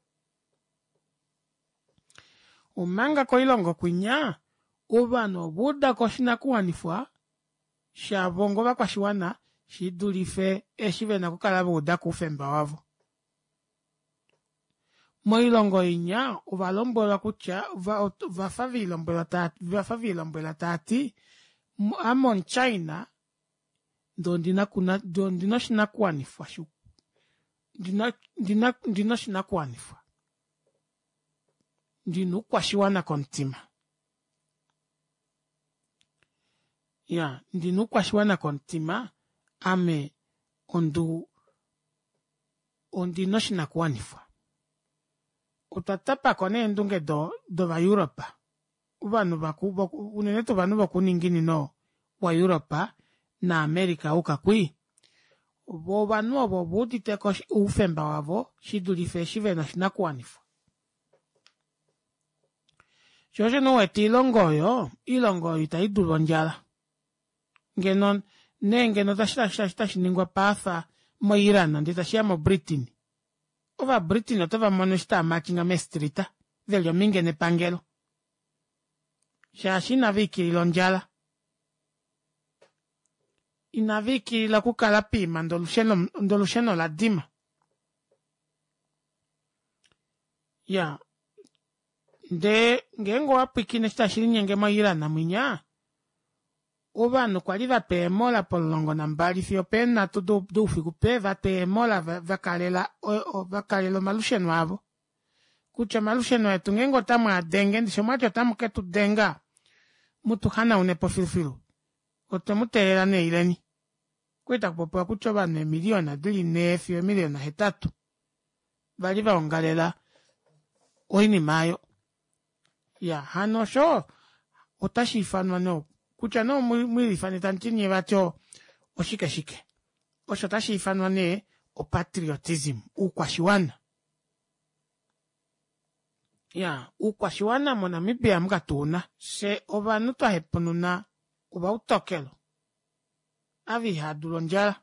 omanga koilongo kwinya ovanhu ovaudako oshinakuwanifwa shavo onga ovakwashiwana shidulife eshi vena okukala vaudako oufemba wavo moilongo inya ovalombwelwa kutya ovafa velombwelwa ovafa velombwela taati ame omu china ndee ondina ondina oshinakuwanifwa ndina ndina oshinakuwanifwa ndina oukwashiwana komutima iyaa ndina oukwashiwana komutima ame onduu ondina oshinakuwanifwa otwa tapako nee endunge dova europe ovanhu vaku unene tuu ovanhu vokuuninginino wa europe na america auka kwii voo ovanhu ovo oveuditeko oufemba wavo shidulife eshi vena oshinakuwanifwa shoo osho nee uwete oilongo oyo oilongo oyo itaidulu ondjala ngeno nee ngeno otashiningwa paafa mo iran ndee tashiya mo britain ova britain otovamono eshi taamarchinga mee street veli ominge nepangelo shaashi inaviikilila ondjala inaviikilila okukala poima ndee olusheno oladima iyaa ndee ngeenge owapwiikine eshi tashilinyenge mo iran mwinya ovanhu kwali vatwa eemola pomulongo nambali fiyo opeenhatu doufiku vatwa eemola vakalela vakalela omalusheno avo kutya omalusheno etu ngeenge otamwaadenge ndishi omwati otamuketudenga mutuhanaunepo filufilu otwemuteelela nee ileni okwali takupopiwa kutya ovanhu eemiliona dili nhee fiyo eemiliona hetatu vali vaongalela oinima aayo iyaa hano osho otashiifanwa nee kutya nee omwiifane tamuti nyee vati oshike shike osho otashiifanwa nee o patriotism oukwashiwana iyaa oukwashiwana mo namibia omu katuuna fyee ovanhu twahepununa ovautokelo ava ihaadulu ondjala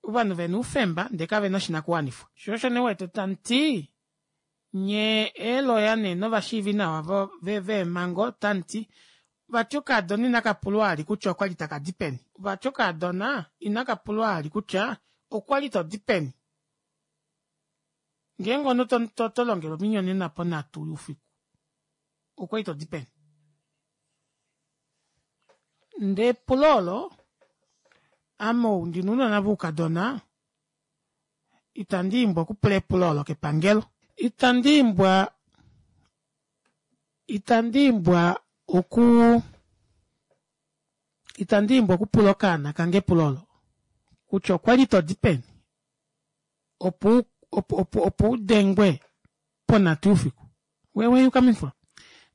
ovanhu vena oufemba ndee kavena oshinakuwanifwa shoo osho nee uwete tamuti nyee eelawyer nee novashiivinawa veemango otamuti vati okaadona inakapulwa vali kutya okwali takadi peni vati okaadona inakapulwa vali kutya okwali todi peni ngeenge omunhu tolongelwa ominyonena ponhatu youfiku okwali todi peni ndee epulo olo ame ou ndina ounona voukadona itandiimbwa okupula epulo olo kepangelo itandiimbwa itandiimbwa okuu itandiimbwa okupula okaana kange epulo olo kutya okwali todi peni opo opo opo udengwe ponhatu youfiku where were you coming from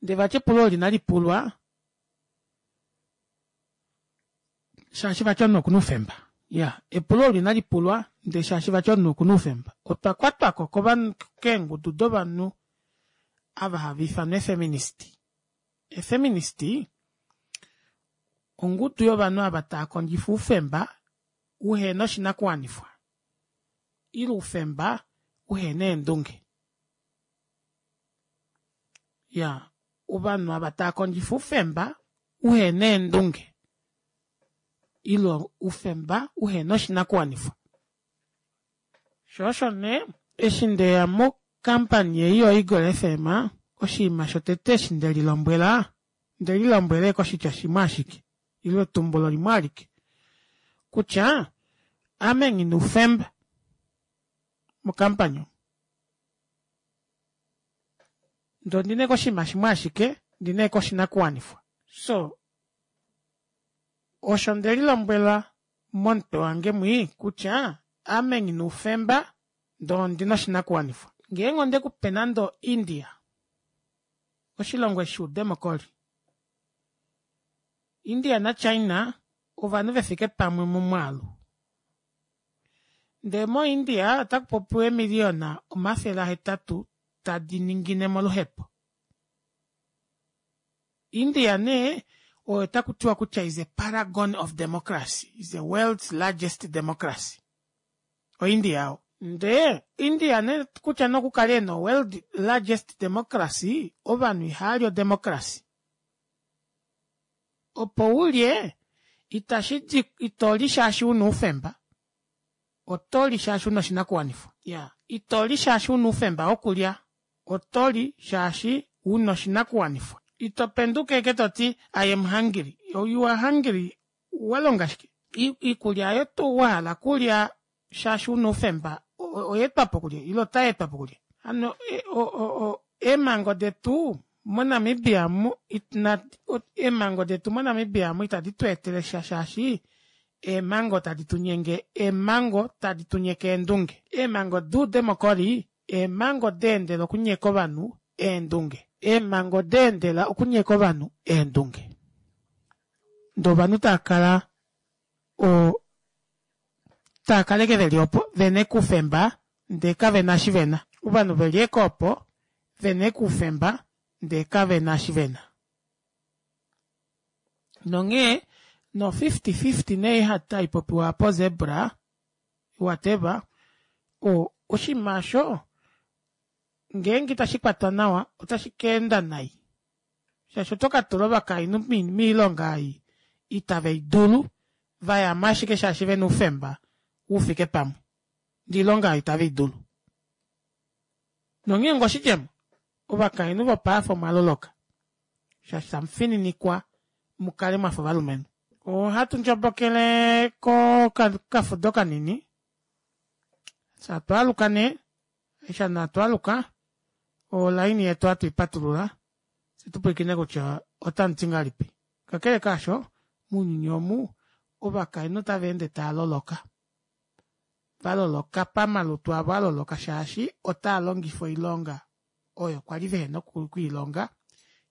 ndee vati epulo olo inalipulwa shaashi vati omunhu okuna oufemba iyaa epulo olo inalipulwa ndee shaashi vati omunhu okuna oufemba otwa kwatwako kovanhu keengudu dovanhu ava hava ifanwa eefeminist eefeminist ongudu yovanhu ava taakondjifa oufemba uhena oshinakuwanifwa ile oufemba uhena eendunge iyaa ovanhu ava taakondjifa oufemba uhena eendunge ile oufemba uhena oshinakuwanifwa shoo osho nee eshi ndeya mo company ei yo eagle F M oshinima shotete eshi ndelilombwela ondelilombwela ashike oshitya shimwe ashike ile etumbulo limwe alike kutya ame nghina oufemba mo company omu ndee ondina ashike oshinima shimwe ashike ondina ashike oshinakuwanifwa so osho ndelilombwela momutwe wange mwii kutya ame nghina oufemba ndee ondina oshinakuwanifwa ngeenge ondekupe nande o india oshilongo eshi shoudemocry India naChina ovanhu vefike pamwe momwaalu. Ndee moIndia otakupopiwa eemiliyona omafele ahetatu tadi ningine moluhepo. India nee oyo takutiwa kutya is a paragon of democracy, is the world's largest democracy. OIndia oo. Ndee India nee kutya nee okukale ena world largest democracy, ovanhu ihaali odemocracy. Opo ulye itashidi itoli shaashi una oufemba, otoli shaashi una oshinakuwanifwa. Iyaa itoli shaashi una oufemba wokulya, otoli shaashi una oshinakuwanifwa. Ito penduka ashike toti I am hungry, you are hungry walonga shike? Iikulya aayo tuu wahala okulya shaashi una oufemba oyaetwapo kulye ile otayeetwapo kulye? Hano eemhango detu moNamibia omu eemhango detu moNamibia omu itadi tweetele sha shaashi eemhango tadi tunyenge eemhango tadi tunyeke eendunge. Eemhango doudemocry eemhango daendela okunyeka ovanhu eendunge. Eemhango daendela okunyeka ovanhu eendunge. Ndee ovanhu taakala oo taakala ashike veli opo vena ashike oufemba ndee kavena eshi vena. Ovanhu veli ashike opo vena ashike oufemba ndee kavena eshi vena. Nonghee no fifty fifty nee haipopiwa aapa ozebra whatever o oshinima aasho ngeenge ita shikwatwa nawa otashi kaenda nai shaashi oto katula ovakainhu moilonga ei ita veidulu vayamo ashike shaashi vena oufemba ufike pamwe ndee oilonga aayo ita veidulu. Nonghee onga oshidjemo ovakainhu vopaife omwaloloka shaashi tamufininikwa mukale mwafa ovalumenhu. Ohatu ndjobokele kokafudo kanini fyee atwaaluka nee eshi nee atwaaluka olaini yetu ohatuipatulula fyee tupwilikine kutya otamuti ngahelipi. Kakele kaasho mounyuni omu ovakainhu otavaende taaloloka, valoloka pamalutu avo aloloka shaashi otaalongifwa oilonga oyo kwali vehena okwiilonga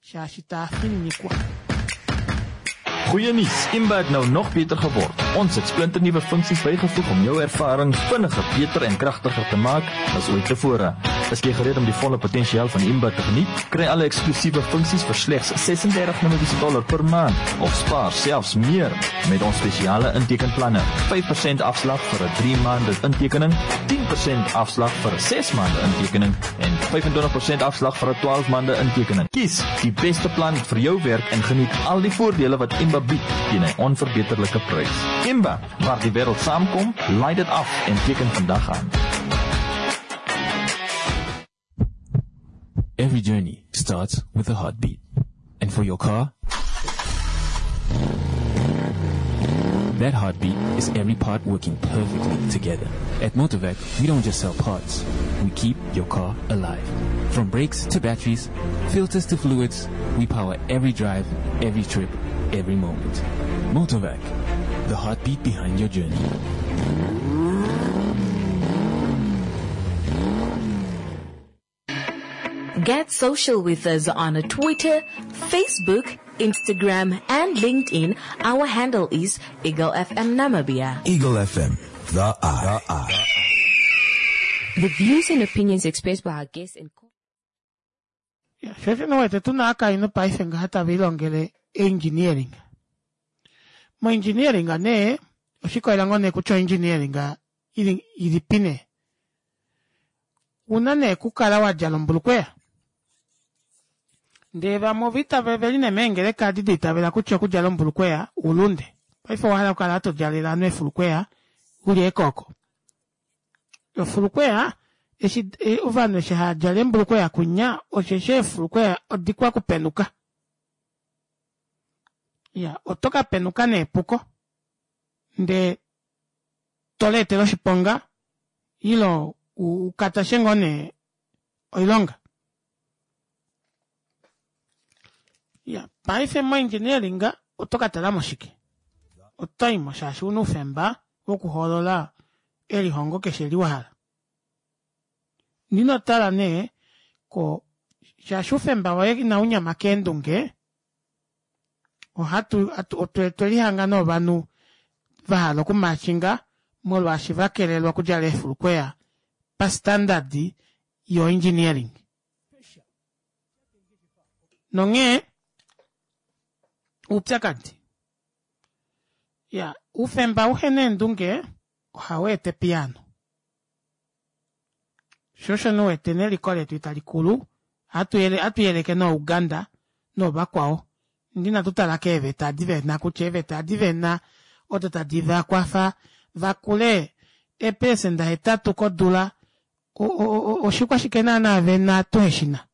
shaashi taafininikwa. Goeie nuus, Imba het nou nog beter geword. Ons het splinternuwe funksies bygevoeg om jou ervaring vinniger, beter en kragtiger te maak as ooit tevore. Is jy gereed om die volle potensiaal van Imba te geniet? Kry alle eksklusiewe funksies vir slegs ses-en-dertig Namibiese dollar per maand of spaar selfs meer met ons spesiale intekenplanne. vyf persent afslag vir 'n drie maande intekening, tien persent afslag vir 'n ses maande intekening en vyf-en-twintig persent afslag vir 'n twaalf maande intekening. Kies die beste plan vir jou werk en geniet al die voordele wat Imba bied teen 'n onverbeterlike prys. Imba, waar die wêreld saamkom, laai dit af en teken vandag aan. Every journey starts with a heartbeat. And for your car, that heartbeat is every part working perfectly together. At Motorvac, we don't just sell parts. We keep your car alive. From brakes to batteries, filters to fluids, we power every drive, every trip, every moment. Motorvac, the heartbeat behind your journey. Get social with us on Twitter, Facebook, Instagram, and LinkedIn. Our handle is Eagle F M Namibia. Eagle F M, the eye. The eye. The views and opinions expressed by our guests and co- Yeah, shosho no wete tuna akainhu paife ngaha tava ilongele engineering. Mo engineering nee, oshikolela ngoo nee kutya engineering ili, ilipi nee. Una nee kukala wa djala ombulukweya. Ndee vamwe ova itavela veli nee meengeleka adi da itavela kutya okudjala ombulukweya ulunde. Paife owa hala okukala to djalele ovanhu eefulukweya uli ekooko. Efulukweya eshi, e, ovanhu eshi hava djala eembulukweya kunya, osheshi eefulukweya odikwa kupenuka. Ya, oto ka penuka neepuko. Ndee to leetele oshiponga ilo ukatashe ngoo nee oilonga. Ya, paife mo engineering oto ka talamo shike? Oto imo shaashi una oufemba wokuhoolola elihongo keshe li wahala. Nino tala nee ko shaashi oufemba woye inaunyama keendunge, Ohatu otwelihanga novanhu vahala okumashinga molwaashi vakelelwa okudjala eefulukweya pastandard yo engineering. Nonghee oupyakadi ya oufemba uhena eendunge ohaweeta epiyaano. Shoo osho nee uwete neliko letu italikulu ohatuyeleke noo Uganda noovakwao ndee inatu tala keeveta edi vena kutya eeveta edi vena odo tadi vakwafa vakule eepecenda hetatu kodula oshikwashike naana vena tuheshina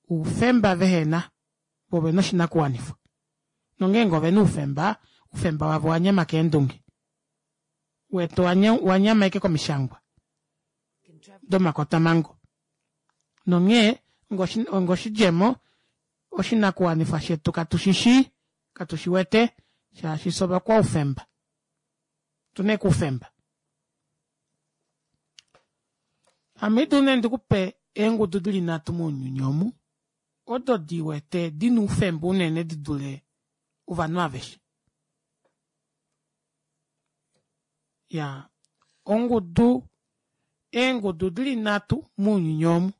oufemba vehena voo ovena oshinakuwanifwa nongeenge ovena oufemba oufemba wavo owanyama keendunge wetu owanyama ashike komishangwa domakotamango nonghee onga oshidjemo oshinakuwanifwa shetu katushishi katushiwete shaashi fyee ovakwaufemba otuna ashike oufemba. Ame ohaidulu nee ndikupe eengudu dili nhatu mounyuni omu odo diwete dina oufemba unene didule ovanhu aveshe. Iyaa ongudu eengudu dili nhatu mounyuni omu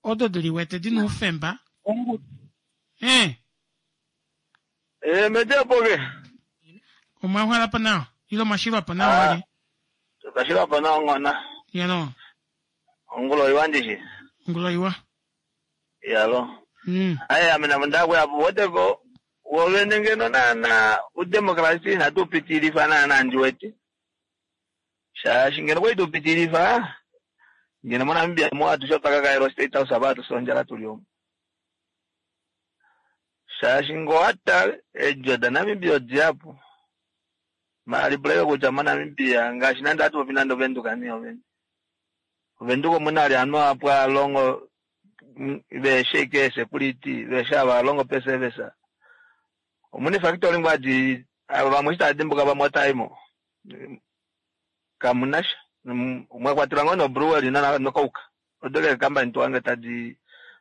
odo diliwete dina oufemba ee Eh, metepoke. Omwauhalapo nawa ile omwashilwapo nawa wali? Twashilwapo nawa ngona. Yalo. Ongulo iwa ndishi. Ongulo iwa. Yalo. Mm. Aye ame namo ndakuya po woteko wovene ngeno naana udemokrasi inatu upitilifa naana ndiwete. Shaashi ngeno kwali tuupitilifa ngeno moNamibia mo atushe otwa kakaelwa State House apa atusi ondjala tuli omu. Shaashi ngee owatale eedjo daNamibia odihapu maala lipula kutya moNamibia ngaashi nande ohatu popi nande ovenduka nee ovene. Ovenduka omuna vali ovanhu vahapu havalongo veheshi ashike eesecurity veheshi ava havalongo peeservice. Omuna eefactory ngoo hadi vamwe eshi tava dimbuka vamwe otavaimo kamunasha mwakwatelwa ngoo nobrewery nocoke odo ashike eecompany tohange tadi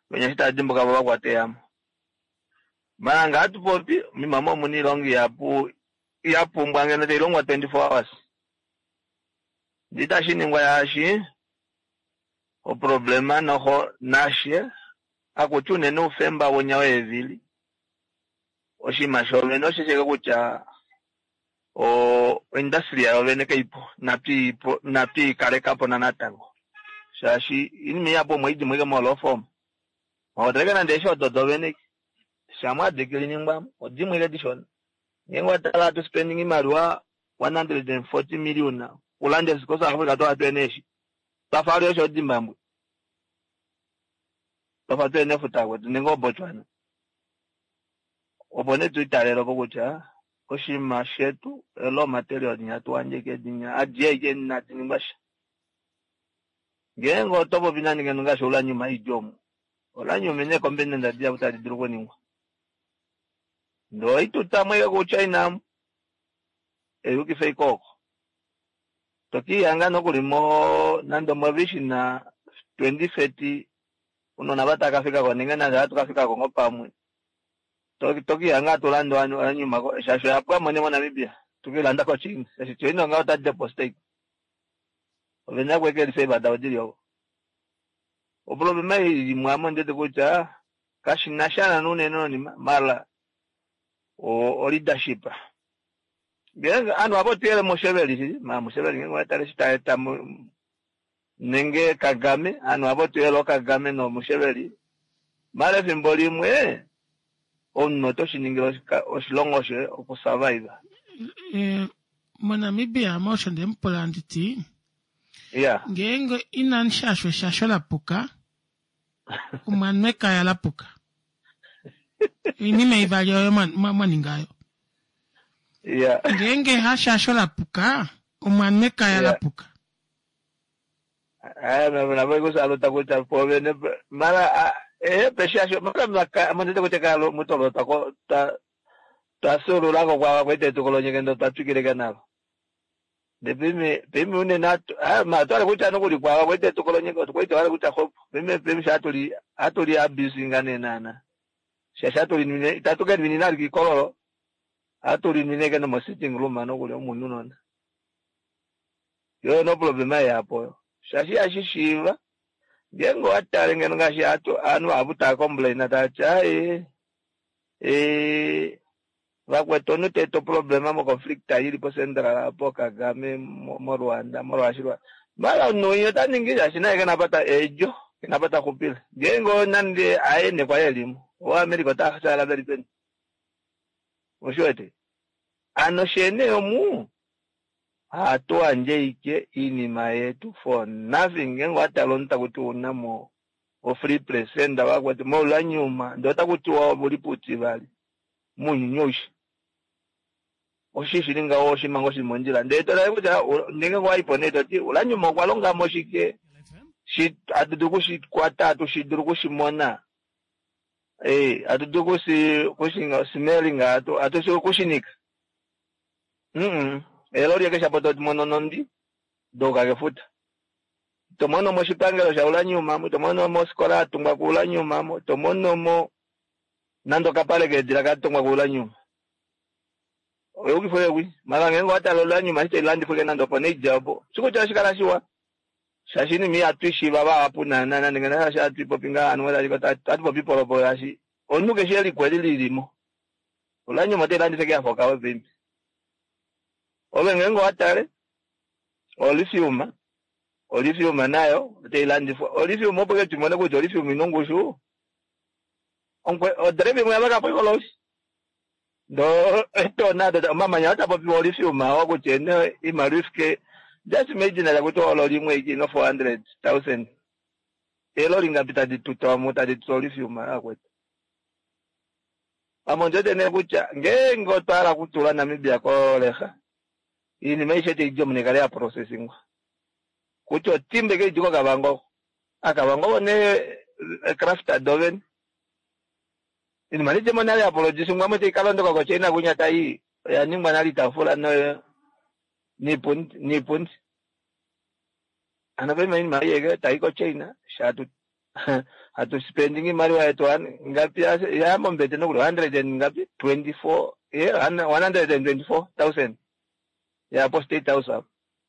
venya eshi tava dimbuka vo vakwata eehamo. Maala ngee hatupopi omoima omuna oilonga ihapu yapumbwa ngeno tailongwa twenty four hours ndee itashiningwa shaashi oproblema noxo nashe akuti unene oufemba wonya weevili oshinima shoovene osheshi ashike kutya oindustry yovene kaipo inatwiikalekapo natango shaashi oinima ihapu omo haidi ashike mo law firm mwakwatelwa nande eeshi odo dovene shamwa hadi odimwe ashike dishona ngeenge owatala hatu spending oimaliwa one hundred and forty million kulanda eeshi ko South Africa twava tuhena eeshi twafa vali eeshi oDzimbabwe twafa tuhena efuta kwetu nenge oBotswana opo nee tuitalelepo kutya oshinima shetu raw material dinya hatu yandje dinya adiye ashike inadi ningwa sha. Ngeenge oto popi nande ngeno ngaashi uranium haidi omu uranium ina eecomponent dihapu tadi dulu okuningwa ndee ohaitutamo ashike kuChina eyukifa ashike oko tokihanga nokuli mo nande omovision twenty thirty ounona ava tava nenge nande ohatu kafikako ngoo pamwe tokihanga hatu landa uranium shaashi oyapwamo nee moNamibia tukeilanda koChina shaashi China ngaho ota deposit ovena okuekelifa eeva davo dili oko. Oproblema imwe aamo ondiwete kutya kashinasha naana unene nonima maala o leadership. Ngeenge ovanhu ohava otuyele Museveni shili maala Museveni ngeenge owatale eshi taeta nenge Kagame ovanhu ohava otuyele ooKagame nooMuseveni maala efimbo limwe omunhu oto shiningile oshilongo shoye okusurvive. MoNamibia ame osho ndemupula anditi iya ngeenge inamushashwa eshasho lapuka omwa ekaya lapuka oinima ivali oyo mwaningayo. Iya ngeenge hashasho lapuka omwa ekaya lapuka. Navo kusaluta kutya povene mara ehe peshasho mara mondete kutya kalo mutolo twako twafyuululako kwava kwete tukolonyeke twatwikileke navo. Ndee pime pime unene twali kutya nokuli kwava kwete tukolonyeke kwete wali kutya xopo pime pime sha hatuli hatuli abusinga nee naana Shaashi hatu linwine itatu ke linwine alike ikololo, hatu linwine ke nomo sitting room nokuli omunhu nona. Yo no problema yapo yo. Shaashi ihashi shiiva ngeenge owatale ngeno ngaashi ovanhu vahapu tava complain tavati aaye ee vakwetu omunhu ta eta oproblema moconflict ili po-Central apo Kagame moRwanda molwaashi mala omunhu winya ota ningi shaashi naye kena apa ta eedjo kena apa taxupile ngeenge nande aye nekwali elimo oAmerica ota veli peni oshiwete ano shene omu hatu yandje ike iinima yetu for nothing. Ngeenge owatala omunhu takuti ounamo o-free percent vakwetu moulanyuma ndee otakutiwa uli puutivali mounyuni aushe oshi shili ngaho oshinima ngoo shili mondjila ndee totale kutya ngeenge wayipo nee toti ulanyuma okwa longamo shike shi hatu dulu kushikwata hatu shidulu kushimona ee hatu dulu kushi kushinga smelling hatu hatu shi kushinika mm eloli keshe apo tomono nondi douka kefuta tomono moshipangelo sha ulanyuma tomono mosikola yatungwa kuulanyuma tomono mo nande okapale keedila katungwa kuulanyuma oyukifo yekwi mara ngeenge owatala ulanyuma shite ilandifwike nande opo neidja opo shikutya oshikala shiwa shaashi inima ihatu ishiiva vahapu naana nande ngeno shaashi hatu ipopi ngaa ovanhu hatu popi polopo shaashi omunhu keshe eliko eli lilimo ulanyuma otailandifa ike yafa okawe paife ove ngeenge owatale olithium olithium nayo otailandifwa olithium opo ke tumone kutya olithium ina ongushu odrebe imwe yavakapo ikoloshi ndo etona omamanya otapopiwa olithium awo kutya ene iimaliwa ifike just imagine takuti ololi imwe iki ino four hundred thousand eeloli ngapi tadi tutwamo tadi tutwa olithium akwetu ame ondiwete nee kutya ngeenge otwa hala okutula Namibia kolexa iinima aishe taidi omu naikale yaprocessingwa kutya otimba ike idi koKavango aKavango ovo nee craft dovene iinima nidjemo nale yaproducingwa mo taikalondoka koChina kunya tai oya ningwa nale itafula noyo niipundi niipundi ano paima iinima aiyeke tai koChina shatu hatu spending iimaliwa yetu ngapi ya mombete nokuli hundred and ngapi twenty four one hundred and twenty four thousand yapo State House apo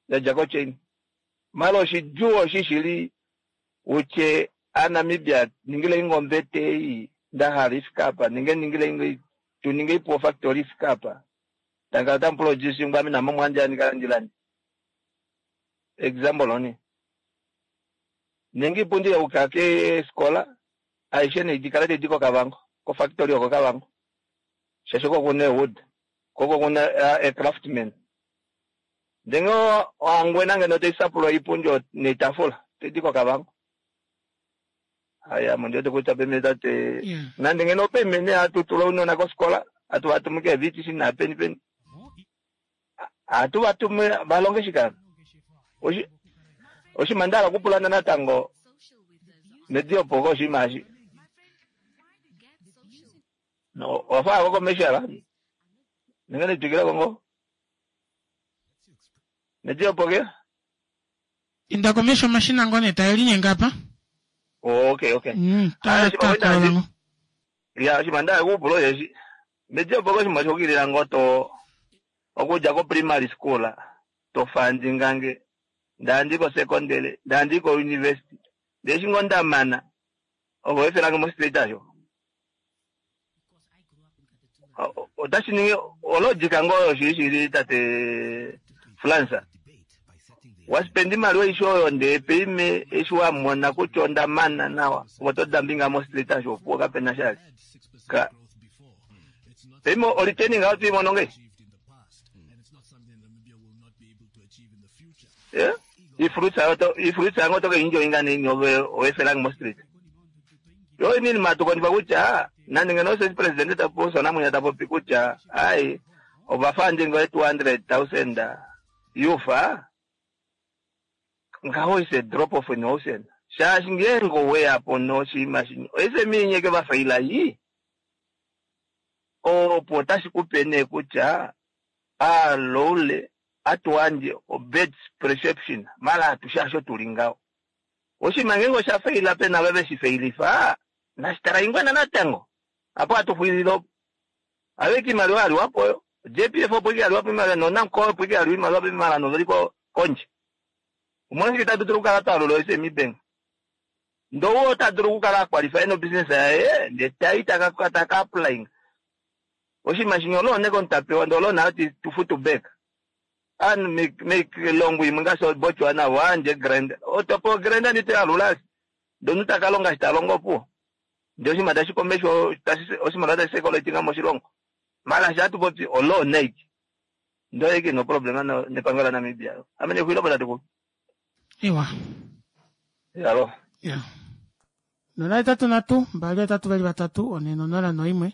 yadja koChina mala oshidjuu oshishili utye aNamibia ningile ingombete ei ndahala ifike apa ninge ningile tuninge ipo factory ifike apa tangala tamuproducingwa ame namo mwandja ndikala ndilande example oni ninge ipundi yauka keskola aishe neidikala taidi koKavango kofactory oko Kavango shaashi oko kuna ewood koko kuna ecraftman ndenge oHangwena ngeno taisapulwa iipundi noitafula taidi koKavango haya ame ondiwete kutya peme tate nande ngeno peme nee hatu tula ounona kofikola hatu vatumu keeVTC naapeni peni hatu vatumu valonge shike oshi oshinima ndahala okupulana natango nediyopo koshinima eshi owafa ko commercial ninge nitwikileko ngoo nediyopo ke inda komesho omashina ngoo nee tae linyenge apa okay okay mm, ta ta ta ya oshinima ndahala okupula osheshi mediyopo koshinima shokilila ngoo to okudja ko primary school to fundingange ndandi ko secondary ndandi ko university ndee eshi ngoo ndamana ovo efelange mo street asho otashi ningi ologica ngoo oyo shili shili tate Fransa waspenda imaliwa aishe oyo ndee peime eshi wamona kutya ondamana nawa opo todambinga mo street asho opuwo kapena shali ka peime olitaining ayo tuimono ngei yeah ifruits ayo to ifruits ayo to enjoyinga nini ove owefelange mo street yo inini matukondipa kutya nande ngeno osho president taposa namwenya tapopi kutya ai ovafunding two hundred thousand yufa ngaho is a drop of an ocean shaashi ngeenge oweyapo noshinima shini SME nyeke vafaila yi opo otashi kupe nee kutya aloule atuwandje obad perception mala atushe asho tuli ngaho oshinima ngeenge osha faila pena ava veshi failifa nashitala ingwena natango Apo hatuxwilile opo. Aveke imaliwa yaliwapo oyo. J P F opo ike yaliwapo imaliwa, noNamcor opo ike yaliwa imaliwa mala noveli kondje. Omolwashike tatu dulu okukala twa alula o S M E Bank? Ndoo ota dulu okukala a qualify no business yaye, ndee tai taka, taka applying. Oshinima shimwe olo ne kontapewa, ndoo olo nayo ti tu futu back. An make, make longo imwe ngaashi Botswana, wandje grand. Otopo grand ndi te alula. Ndoo taka longa shita longo opuwo. Ndee oshinima tashi komesho, tashi, oshinima tashi sekolo moshilongo. Mala sha tu popi olo nike. Ndoo eke no problema no nepangelo la Namibia. Amene kuilo bota tuku. Iwa. Yalo. Ya. Nola etatu natu, mbali etatu vali vatatu, one nonola noimwe.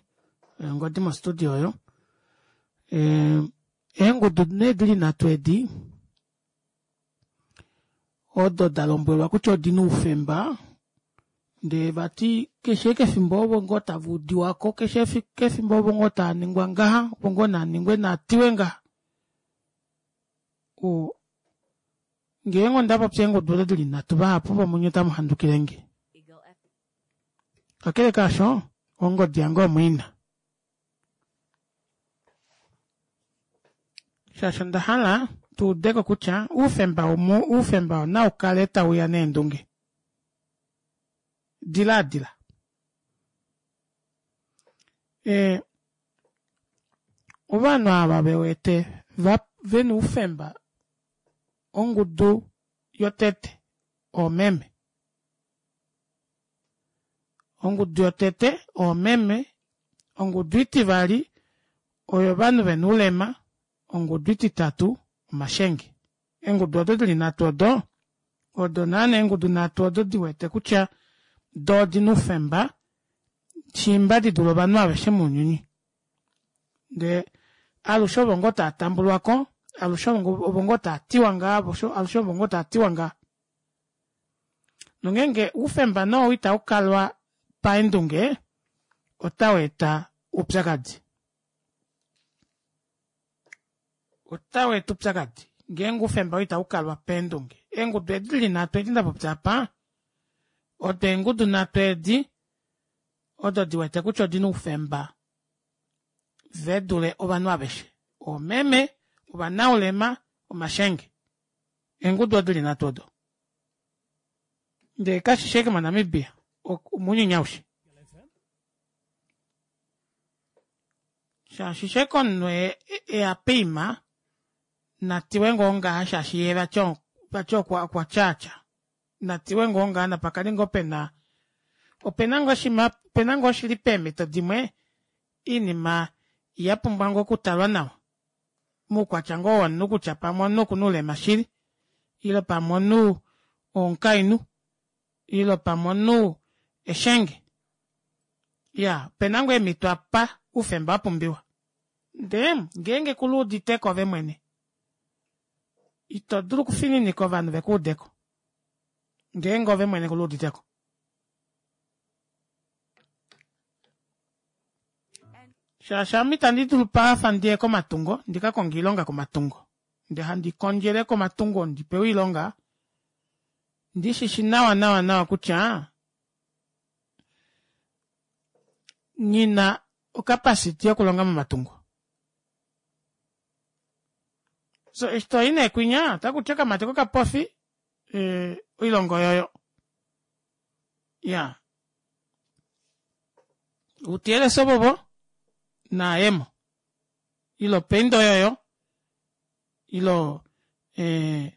Ngodi mo studio oyo. Eh, eengudu ne dili nhatu edi. Odo da lombwelwa kutya odina oufemba. Ndee vati keshe kefimbo ovo ngoo tava udiwako, keshe kefimbo ovo ngoo taa ningwa ngaha, ovo ngoo naa ningwe naatiwe ngaha. O ngeenge onda popya eengudu odo dili nhatu, vahapu vomunye otamu handukile nge. Kakele kaasho, ongodi yange omwiina. Shaashi onda hala tu udeko kutya oufemba omu, oufemba onau kale tauya neendunge. Diladila. E, ovanhu ava vewete va vena oufemba ongudu yotete oomeme. Ongudu yotete oomeme, ongudu itivali oyo ovanhu vena oulema, ongudu ititatu omashenge. Eengudu odo dili nhatu odo, odo naana eengudu nhatu odo diwete kutya do odina oufemba shimba di dule ovanhu aveshe mounyuni. Ndee alushe ovo ngoo taa tambulwako, alushe ovo ngoo taa tiwa ngaa, alushe ovo ngoo taa tiwa ngaa. Nongeenge oufemba noo itau kalwa paendunge, otau eta oupyakadi. Otau eta oupyakadi. Ngeenge oufemba itau kalwa paendunge. Eengudu edi dili nhatu edi nda popya apa, odo eengudu nhatu edi, odo diwete kutya odina oufemba ve dule ovanhu aveshe. Oomeme, ovanaulema, omashenge. Eengudu odo dili nhatu odo. Ndee kashi sheke moNamibia, omunyuni aushe. Shaashi sheke omunhu eya peima, natiwe ngoo ngaha shaashi ye vati vati okwa tyaatya. Natiwe ngoo ngaha napakali ngoo pena, opena ngoo shima, opena ngoo shili peemhito dimwe, iinima ya pumbwa ngoo okutalwa nawa. Muukwatya ngoo womunhu kutya pamwe omunhu okuna oulema shili, ile pamwe omunhu omukainhu, ile pamwe omunhu eshenge. Ya, opena ngoo eemhito apa oufemba wa pumbiwa. Ndee, ngeenge kuluuditeko ove mwene, ito dulu okufininika ovanhu vekuudeko. Ngeenge ove mwene kuluuditeko. Shaashi ame itandi dulu paafa ndiye komatungo, ndika konge oilonga komatungo. Ndee handi kondjele komatungo ndi pewe oilonga, ndi shishi nawa nawa nawa kutya ngina okapasiti yokulonga momatungo. So eshi toyi nee kwinya, otaku ti okamati kokapofi, eh, oilonga oyoyo. Ya. Utiyele sobobo, naayemo. Ilo peindo oyoyo, ilo, eh,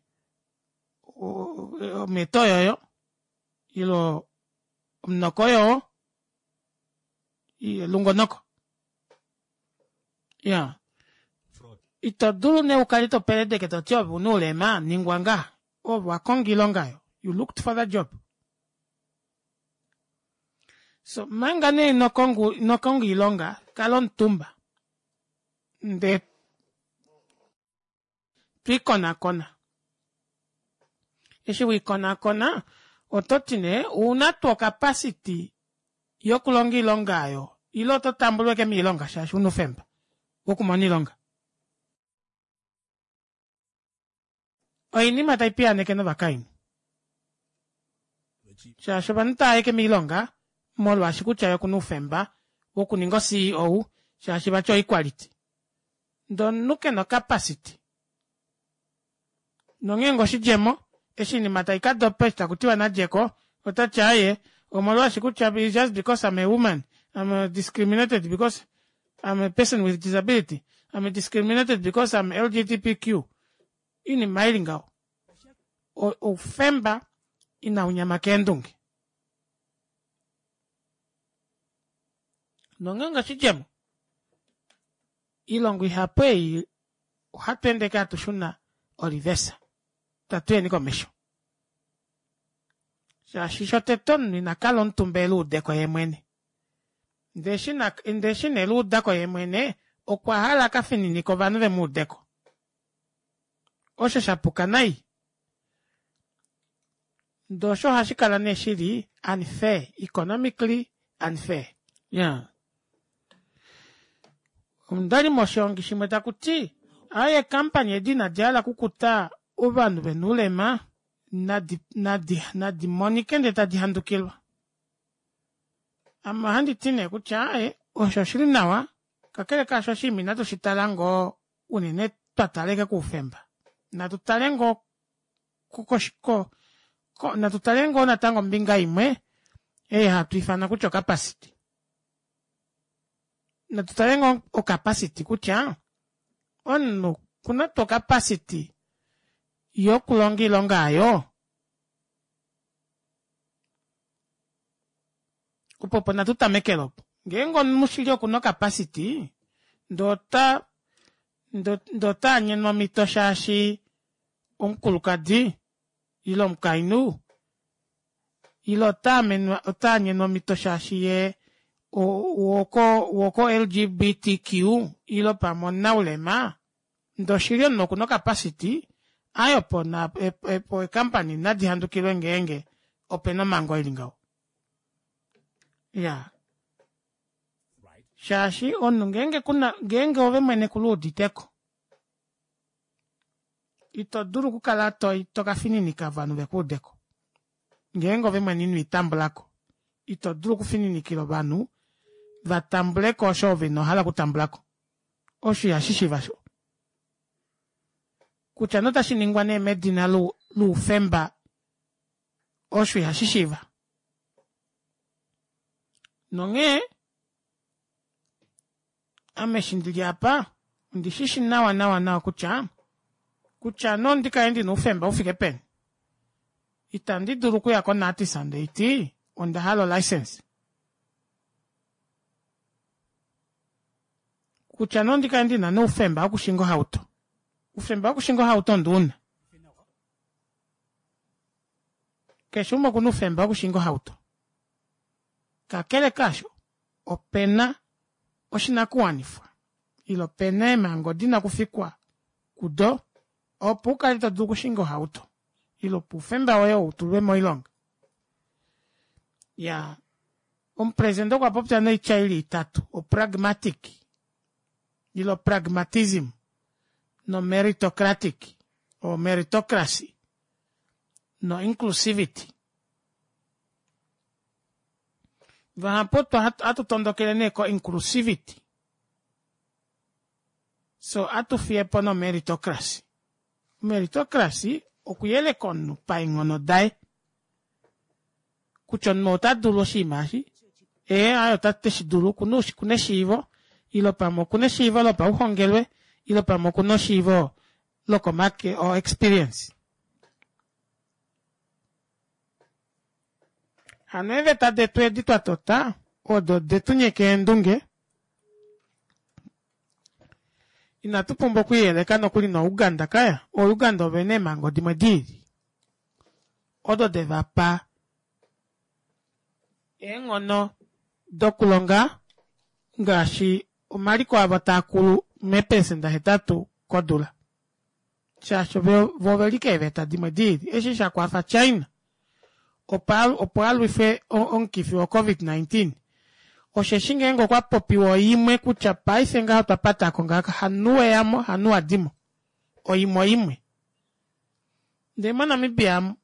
ometo oyoyo, ilo omunoko oyowo, lungonoko. Ya. Ito dulu nee ukale to peledeke to ti ove una oulema, ningwa ngaha. Ove wa konga oilonga oyo. You looked for the job. So, manga nee ino konga oilonga, kala omutumba. Ndee twiikonakona. Eshi wiikonakona, oto ti nee, ouna tuu okapasiti yokulonga oilonga oyo, ile oto tambulwa eke miilonga shaashi una oufemba wokumona oilonga. Oinima tai piyaneke novakainhu. Shaashi ovanhu tava eke miilonga, molwaashi kutya ye okuna oufemba wokuninga o C E O shaashi vati oequality. Ndee omunhu kena ocapacity. Nongeenge oshidjemo eshi oinima taikadopa eshi takutiwa nadjeko otati aaye omolwaashi kutya just because I'm a woman, I'm discriminated because I'm a person with disability, I'm discriminated because I'm L G B T Q. Oinima ili ngaho. Oufemba inaunyama keendunge. Nongeenge oshidjemo ilongo ihapu ei ohatu ende hatu shuna olivesa tatuyeni komesho. Shaashi shotete omunhu inakala omutumba eluudeko yemwene. Ndee eshi neluudako yemwene okwa hala akafininika ovanhu vemuudeko. Osho shapuka nai. Ndee osho ohashi kala nee shili unfair, economically unfair. Yeah. Ondali moshiongi shimwe takuti aye company edi inadi hala okukuta ovanhu vena oulema nadi, nadi, nadi monike ndee tadi handukilwa. Ame ohandi ti nee kutya aye osho oshili nawa kakele kaasho oshinima inatu shi tala ngoo unene twa taleke koufemba. Natu tale ngoo ko, ko, natu tale ngoo natango ombinga imwe ei hatu ifana kutya ocapacity. Natu tale ngoo ocapacity kutya omunhu kuna tuu ocapacity yokulonga oilonga ayo. Opo opo natu tamekele opo. Ngeenge omunhu shili okuna ocapacity, ndee ota, ndee ota anyenwa omhito shaashi omukulukadi ile omukainhu ile ota amenwa, ota anyenwa omhito shaashi ye woko, woko L G B T Q ile pamwe omunaulema, ndee oshili omunhu okuna ocapacity aye opo na, opo eekampani nadi handukilwe ngeenge opena omhango ili ngaho. Ya. Shaashi omunhu ngeenge kuna, ngeenge ove mwene kuluuditeko, ito dulu okukala to, to kafininika ovanhu vekuudeko. Ngeenge ove mwene ino itambulako, ito dulu okufininikila ovanhu vatambuleko osho ove ino hala okutambulako. Osho ihashi shiiva sho. Kutya notashi ningwa nee medina loufemba, osho ihashi shiiva. Nonghee ame eshi ndili apa ondishishi nawa nawa nawa kutya kutya nondi kale ndina oufemba ufike peni, itandi dulu okuya koNatis ndeiti onda hala olicense. Kutya nondi kale ndina noufemba wokushinga ohauto, oufemba wokushinga ohauto ondiuna. Keshe umwe okuna oufemba wokushinga ohauto. Kakele kaasho, opena oshinakuwanifwa ile opena eemhango dina okufikwa kudo opo ukale to dulu okushinga ohauto ile opo oufemba woye utulwe moilonga. Ya, omupresidente okwa popya noitya ili itatu, opragmatic ile pragmatism no meritocratic o meritocracy no inclusivity. Vahapu atu tondokele nee ko inclusivity, so atu fiyepo no meritocracy. Meritocracy okuyeleka omunhu paenghono daye, kutya omunhu ota dulu oshinima eshi, ee aye ota teshi dulu, okuna eshiivo ile pamwe okuna eshiivo lopauhongelwe ile pamwe okuna eshiivo lokomake o experience. Hano eeveta detu edi twa tota odo detu nyeka eendunge, inatu pumbwa okuyeleka nokuli noUganda kaya. OUganda ovena eemhango dimwe diili odo devapa eenghono dokulonga ngaashi omaliko avo taakulu meepelesenda hetatu kodula, shaashi vo oveli keeveta dimwe diili. Eshi shakwafa China opo alwife omukifi wo covid nineteen, osheshi ngeenge okwa popiwa oimwe kutya paife ngaho twa patako ngaaka hanu weyamo hanu wadimo, oimwe oimwe. Ndee moNamibia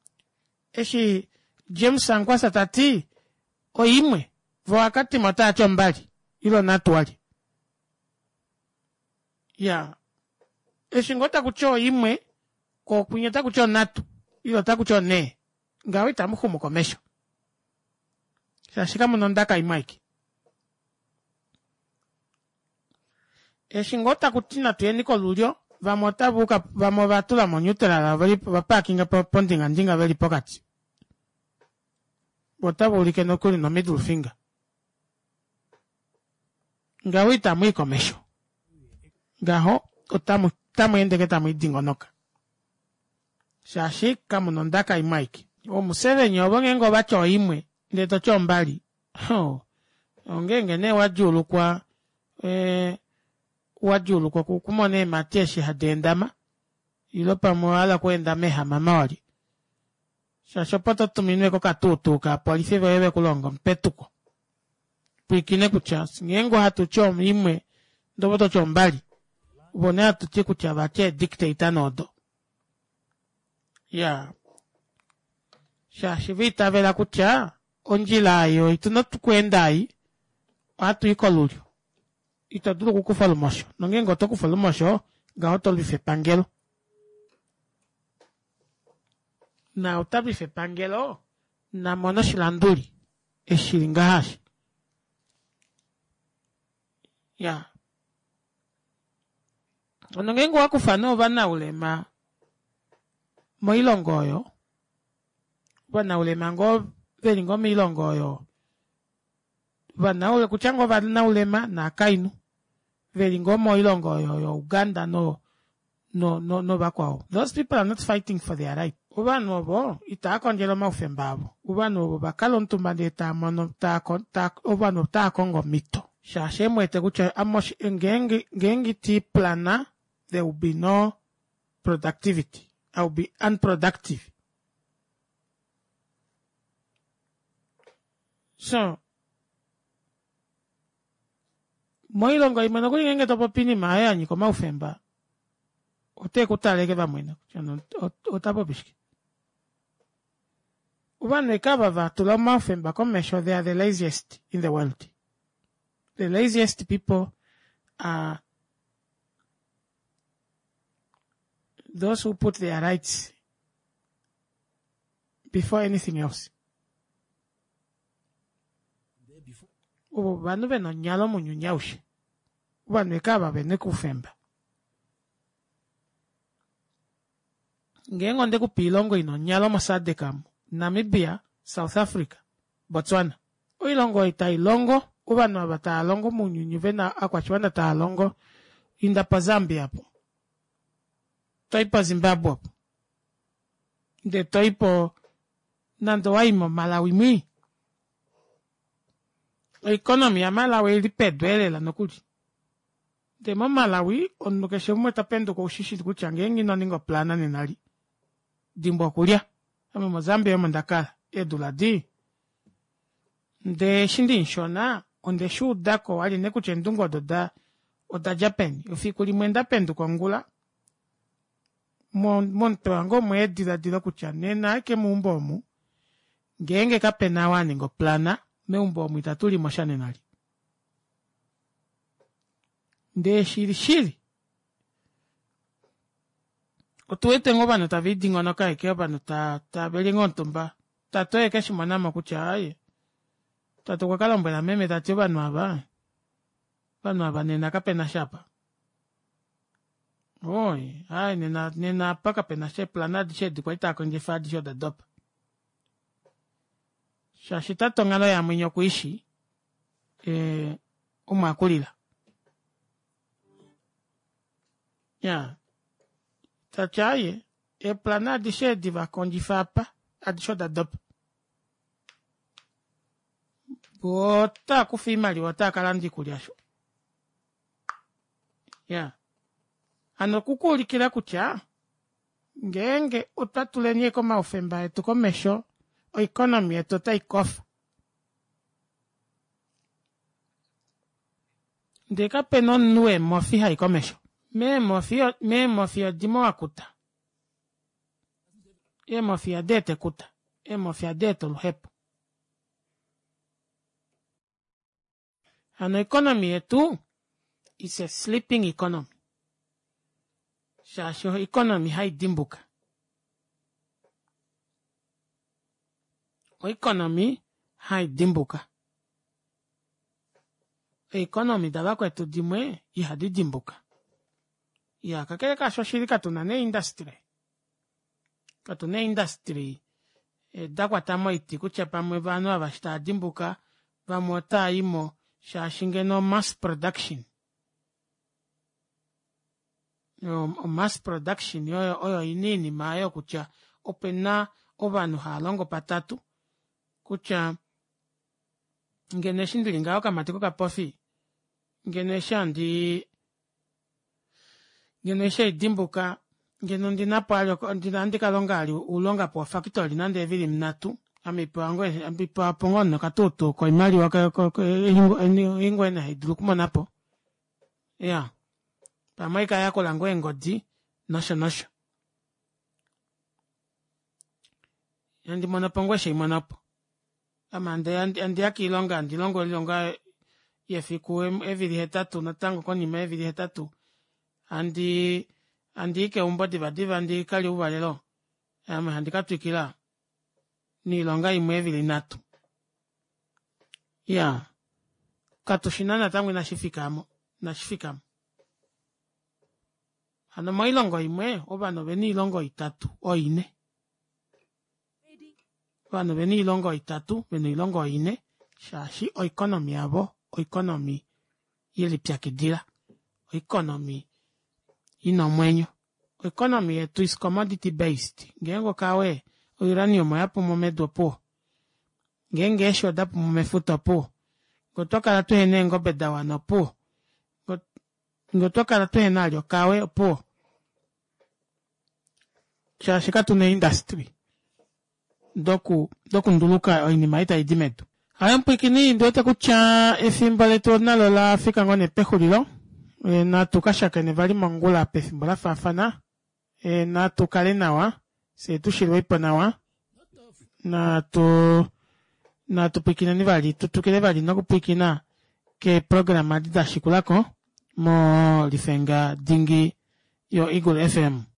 eshi James Sankwasa tati oimwe, vo akatima otaati ombali. Ile onhatu wali. Ya. Eshi ngoo taku ti oimwe, koo kwinya otaku ti onhatu, ile otaku ti onhee. Ngaho itamu xumu komesho. Shaashi kamu na ondaka imwe aike. Eshi ngoo taku ti natu yeni kolulyo, vamwe otava uka, vamwe ova tula mo neutral, oveli ova parkinga pondingandinga veli pokati. Otava ulike nokuli no middle finger. Ngaho itamu i komesho. Ngaho otamu otamu ende ke tamu idingonoka. Shaashi kamu na ondaka imwe aike. Omuseveni ovo ngeenge ovati oimwe ndee toti ombali. Ho. Ongeenge nee wadjuulukwa ee wadjuulukwa okumona eemhati eshi hadi endama ile pamwe owa hala okweenda meehamama wali. Shaashi opo totuminwe kokatuutuu kaapolifi voye vekulonga omupetuko. Pwiikine kutya ngeenge ohatu ti imwe ndee ove ototi ombali. Ovo nee hatuti kutya vati eedictator nee odo. Iyaa shaashi va itavela kutya ondjila ei oyo tuna okweenda ei ohatu i kolulyo. Ito dulu okukufa olumosho nongeenge oto kufa olumosho ngaho oto lwifa epangelo. Na ota lwifa epangelo namone oshilanduli eshi shili ngaha eshi. Ya. Hano ngeenge owakufa nee ovanaulema moilongo oyo, ovanaulema ngoo veli ngoo moilongo oyo, ovanaule kutya ngoo ovanaulema naakainhu veli ngoo moilongo oyo yo Uganda no no no novakwao. Those people are not fighting for their right. Ovanhu ovo itava kondjele omaufemba avo. Ovanhu ovo vakala omutumba ndee taamono taa ovanhu otava kongo omhito. Shaashi emuwete kutya ame ngeenge ngeenge iti plana there will be no productivity. I will be unproductive. So moilongo imwe nokuli ngeenge topopi oinima oyo yanyika omaufemba ote ku taleke vamwena kutya ota popi shike. Ovanhu ashike ava vatula omaufemba komesho they are the laziest in the world. The laziest people are those who put their rights before anything else. Ovo ovanhu vena onyalo mounyuni aushe. Ovanhu ashike ava vena oufemba. Ngeenge ondekupa oilongo ina onyalo mo SADC amu, Namibia, South Africa, Botswana. Oilongo oyo tailongo, ovanhu ava tava longo mounyuni vena ovakwashiwana tava longo, inda po Zambia opo, toi po Zimbabwe opo, ndee toi po nande owai mo Malawi mwii. Oeconomy ya Malawi oili pedu elela nokuli. Ndee mo Malawi omunhu keshe umwe tapenduka oushishili kutya ngeenge ino ninga oplana nena li dimbwa okulya. Ame mo Zambia omo ndakala eedula dii. Ndee eshi ndimushona onde shuudako wali nee kutya eendunge odo oda odadja peni. Efiku limwe ndapenduka ongula momutwe wange omweya ediladilo kutya nena ashike meumbo omu ngeenge kapena ou aninga oplana meumbo omu itatu limo sha nena li. Ndee shili shili otuwete ngoo ovanhu tave lidingonoka ashike ovanhu taveli ngoo omutumba. Tate oye keshimonamo kutya aaye tate okwa kalombwela meme tati ovanhu ava ovanhu ava nena kapena sha apa. Oi aaye nena nena apa kapena sha eeplana adishe edi kwali taakondjifa adishe oda dopa. Shaashi tate onghalo yamwenya okuishi ee omo akulila. Ya tati aaye eeplana adishe edi vakondjifa apa adishe oda dopa. Voo otaakufa oimaliwa otaa kalanda oikulya sho. Ya hano okukuulikila kutya ngeenge otwa tuleni ashike omaufemba etu komesho oeconomy yetu otai kofa. Ndee kapena omunhu weemofi hai komesho. Meemofi meemofi odimo wakuta. Eemofi ihadi eta ekuta. Eemofi ohadi eta oluhepo. Hano economy yetu is a sleeping economy. Shaashi oeconomy haidimbuka. Oeconomy haidimbuka. Eeconomy davakwetu dimwe ihadi dimbuka. Iyaa kakele kaasho oshili katuna nee industry. Katuna ee-industry dakwata moiti kutya pamwe ovanhu ava eshi taadimbuka vamwe otaayimo shaashi ngeno mass production. O mass production oyo ina oinima aayo kutya opena ovanhu haalongo patatu kutya ngeno eshi ndili ngaha okamati kokapofi ngeno eshi handii ngeno eshi haidimbuka ngeno ondinapo vali ohandi kalonga vali oulonga po factory nande eevili nhatu ame haipewapo ngoo nee okatuutuu koimaliwa ei ngoo nee haidulu okumonapo iyaa pamwe ohaikayakula ngoo eengodi nosho nosho handi monopo ngoo eshi haimonopo ame handiya koilonga handilongo oilonga yefiku eevili hetatu natango konima yeevili hetatu handii handii keumbo diva diva ndikalye ouvalelo ame handi katwikila noilonga imwe eevili nhatu iyaa katushina natango inashifika aamo inashifikamo hano moilongo imwe ovanhu ovena oilonga oitatu oine ovanhu ovena oilonga oitatu vena oilonga oine shaashi oeconomy yavo oeconomy yelipyakidila oeconomy ina omwenyo oeconomy yetu is commodity based ngeenge okawe o uranium oyapumo medu opuwo ngeenge eeshi odapumo mefuta opuwo ngee otwakala tuhena eengobe dawana opuwo ngee otwakala tuhena vali okawe opuwo shaashi katuna ee industry doku dokunduluka oinima ei taidi medu. Aaye mupwiikini ondiwete kutya efimbo letu nalo olafika ngoo nee pexulilo natu kashakene vali mongula pefimbo lafaafana natu kale nawa fyee tushilwepo nawa naatuu natu pwiikineni vali tutwikile vali nokupwiikina keeprograma edi dashikulako molifenga dingi yo eagle F M.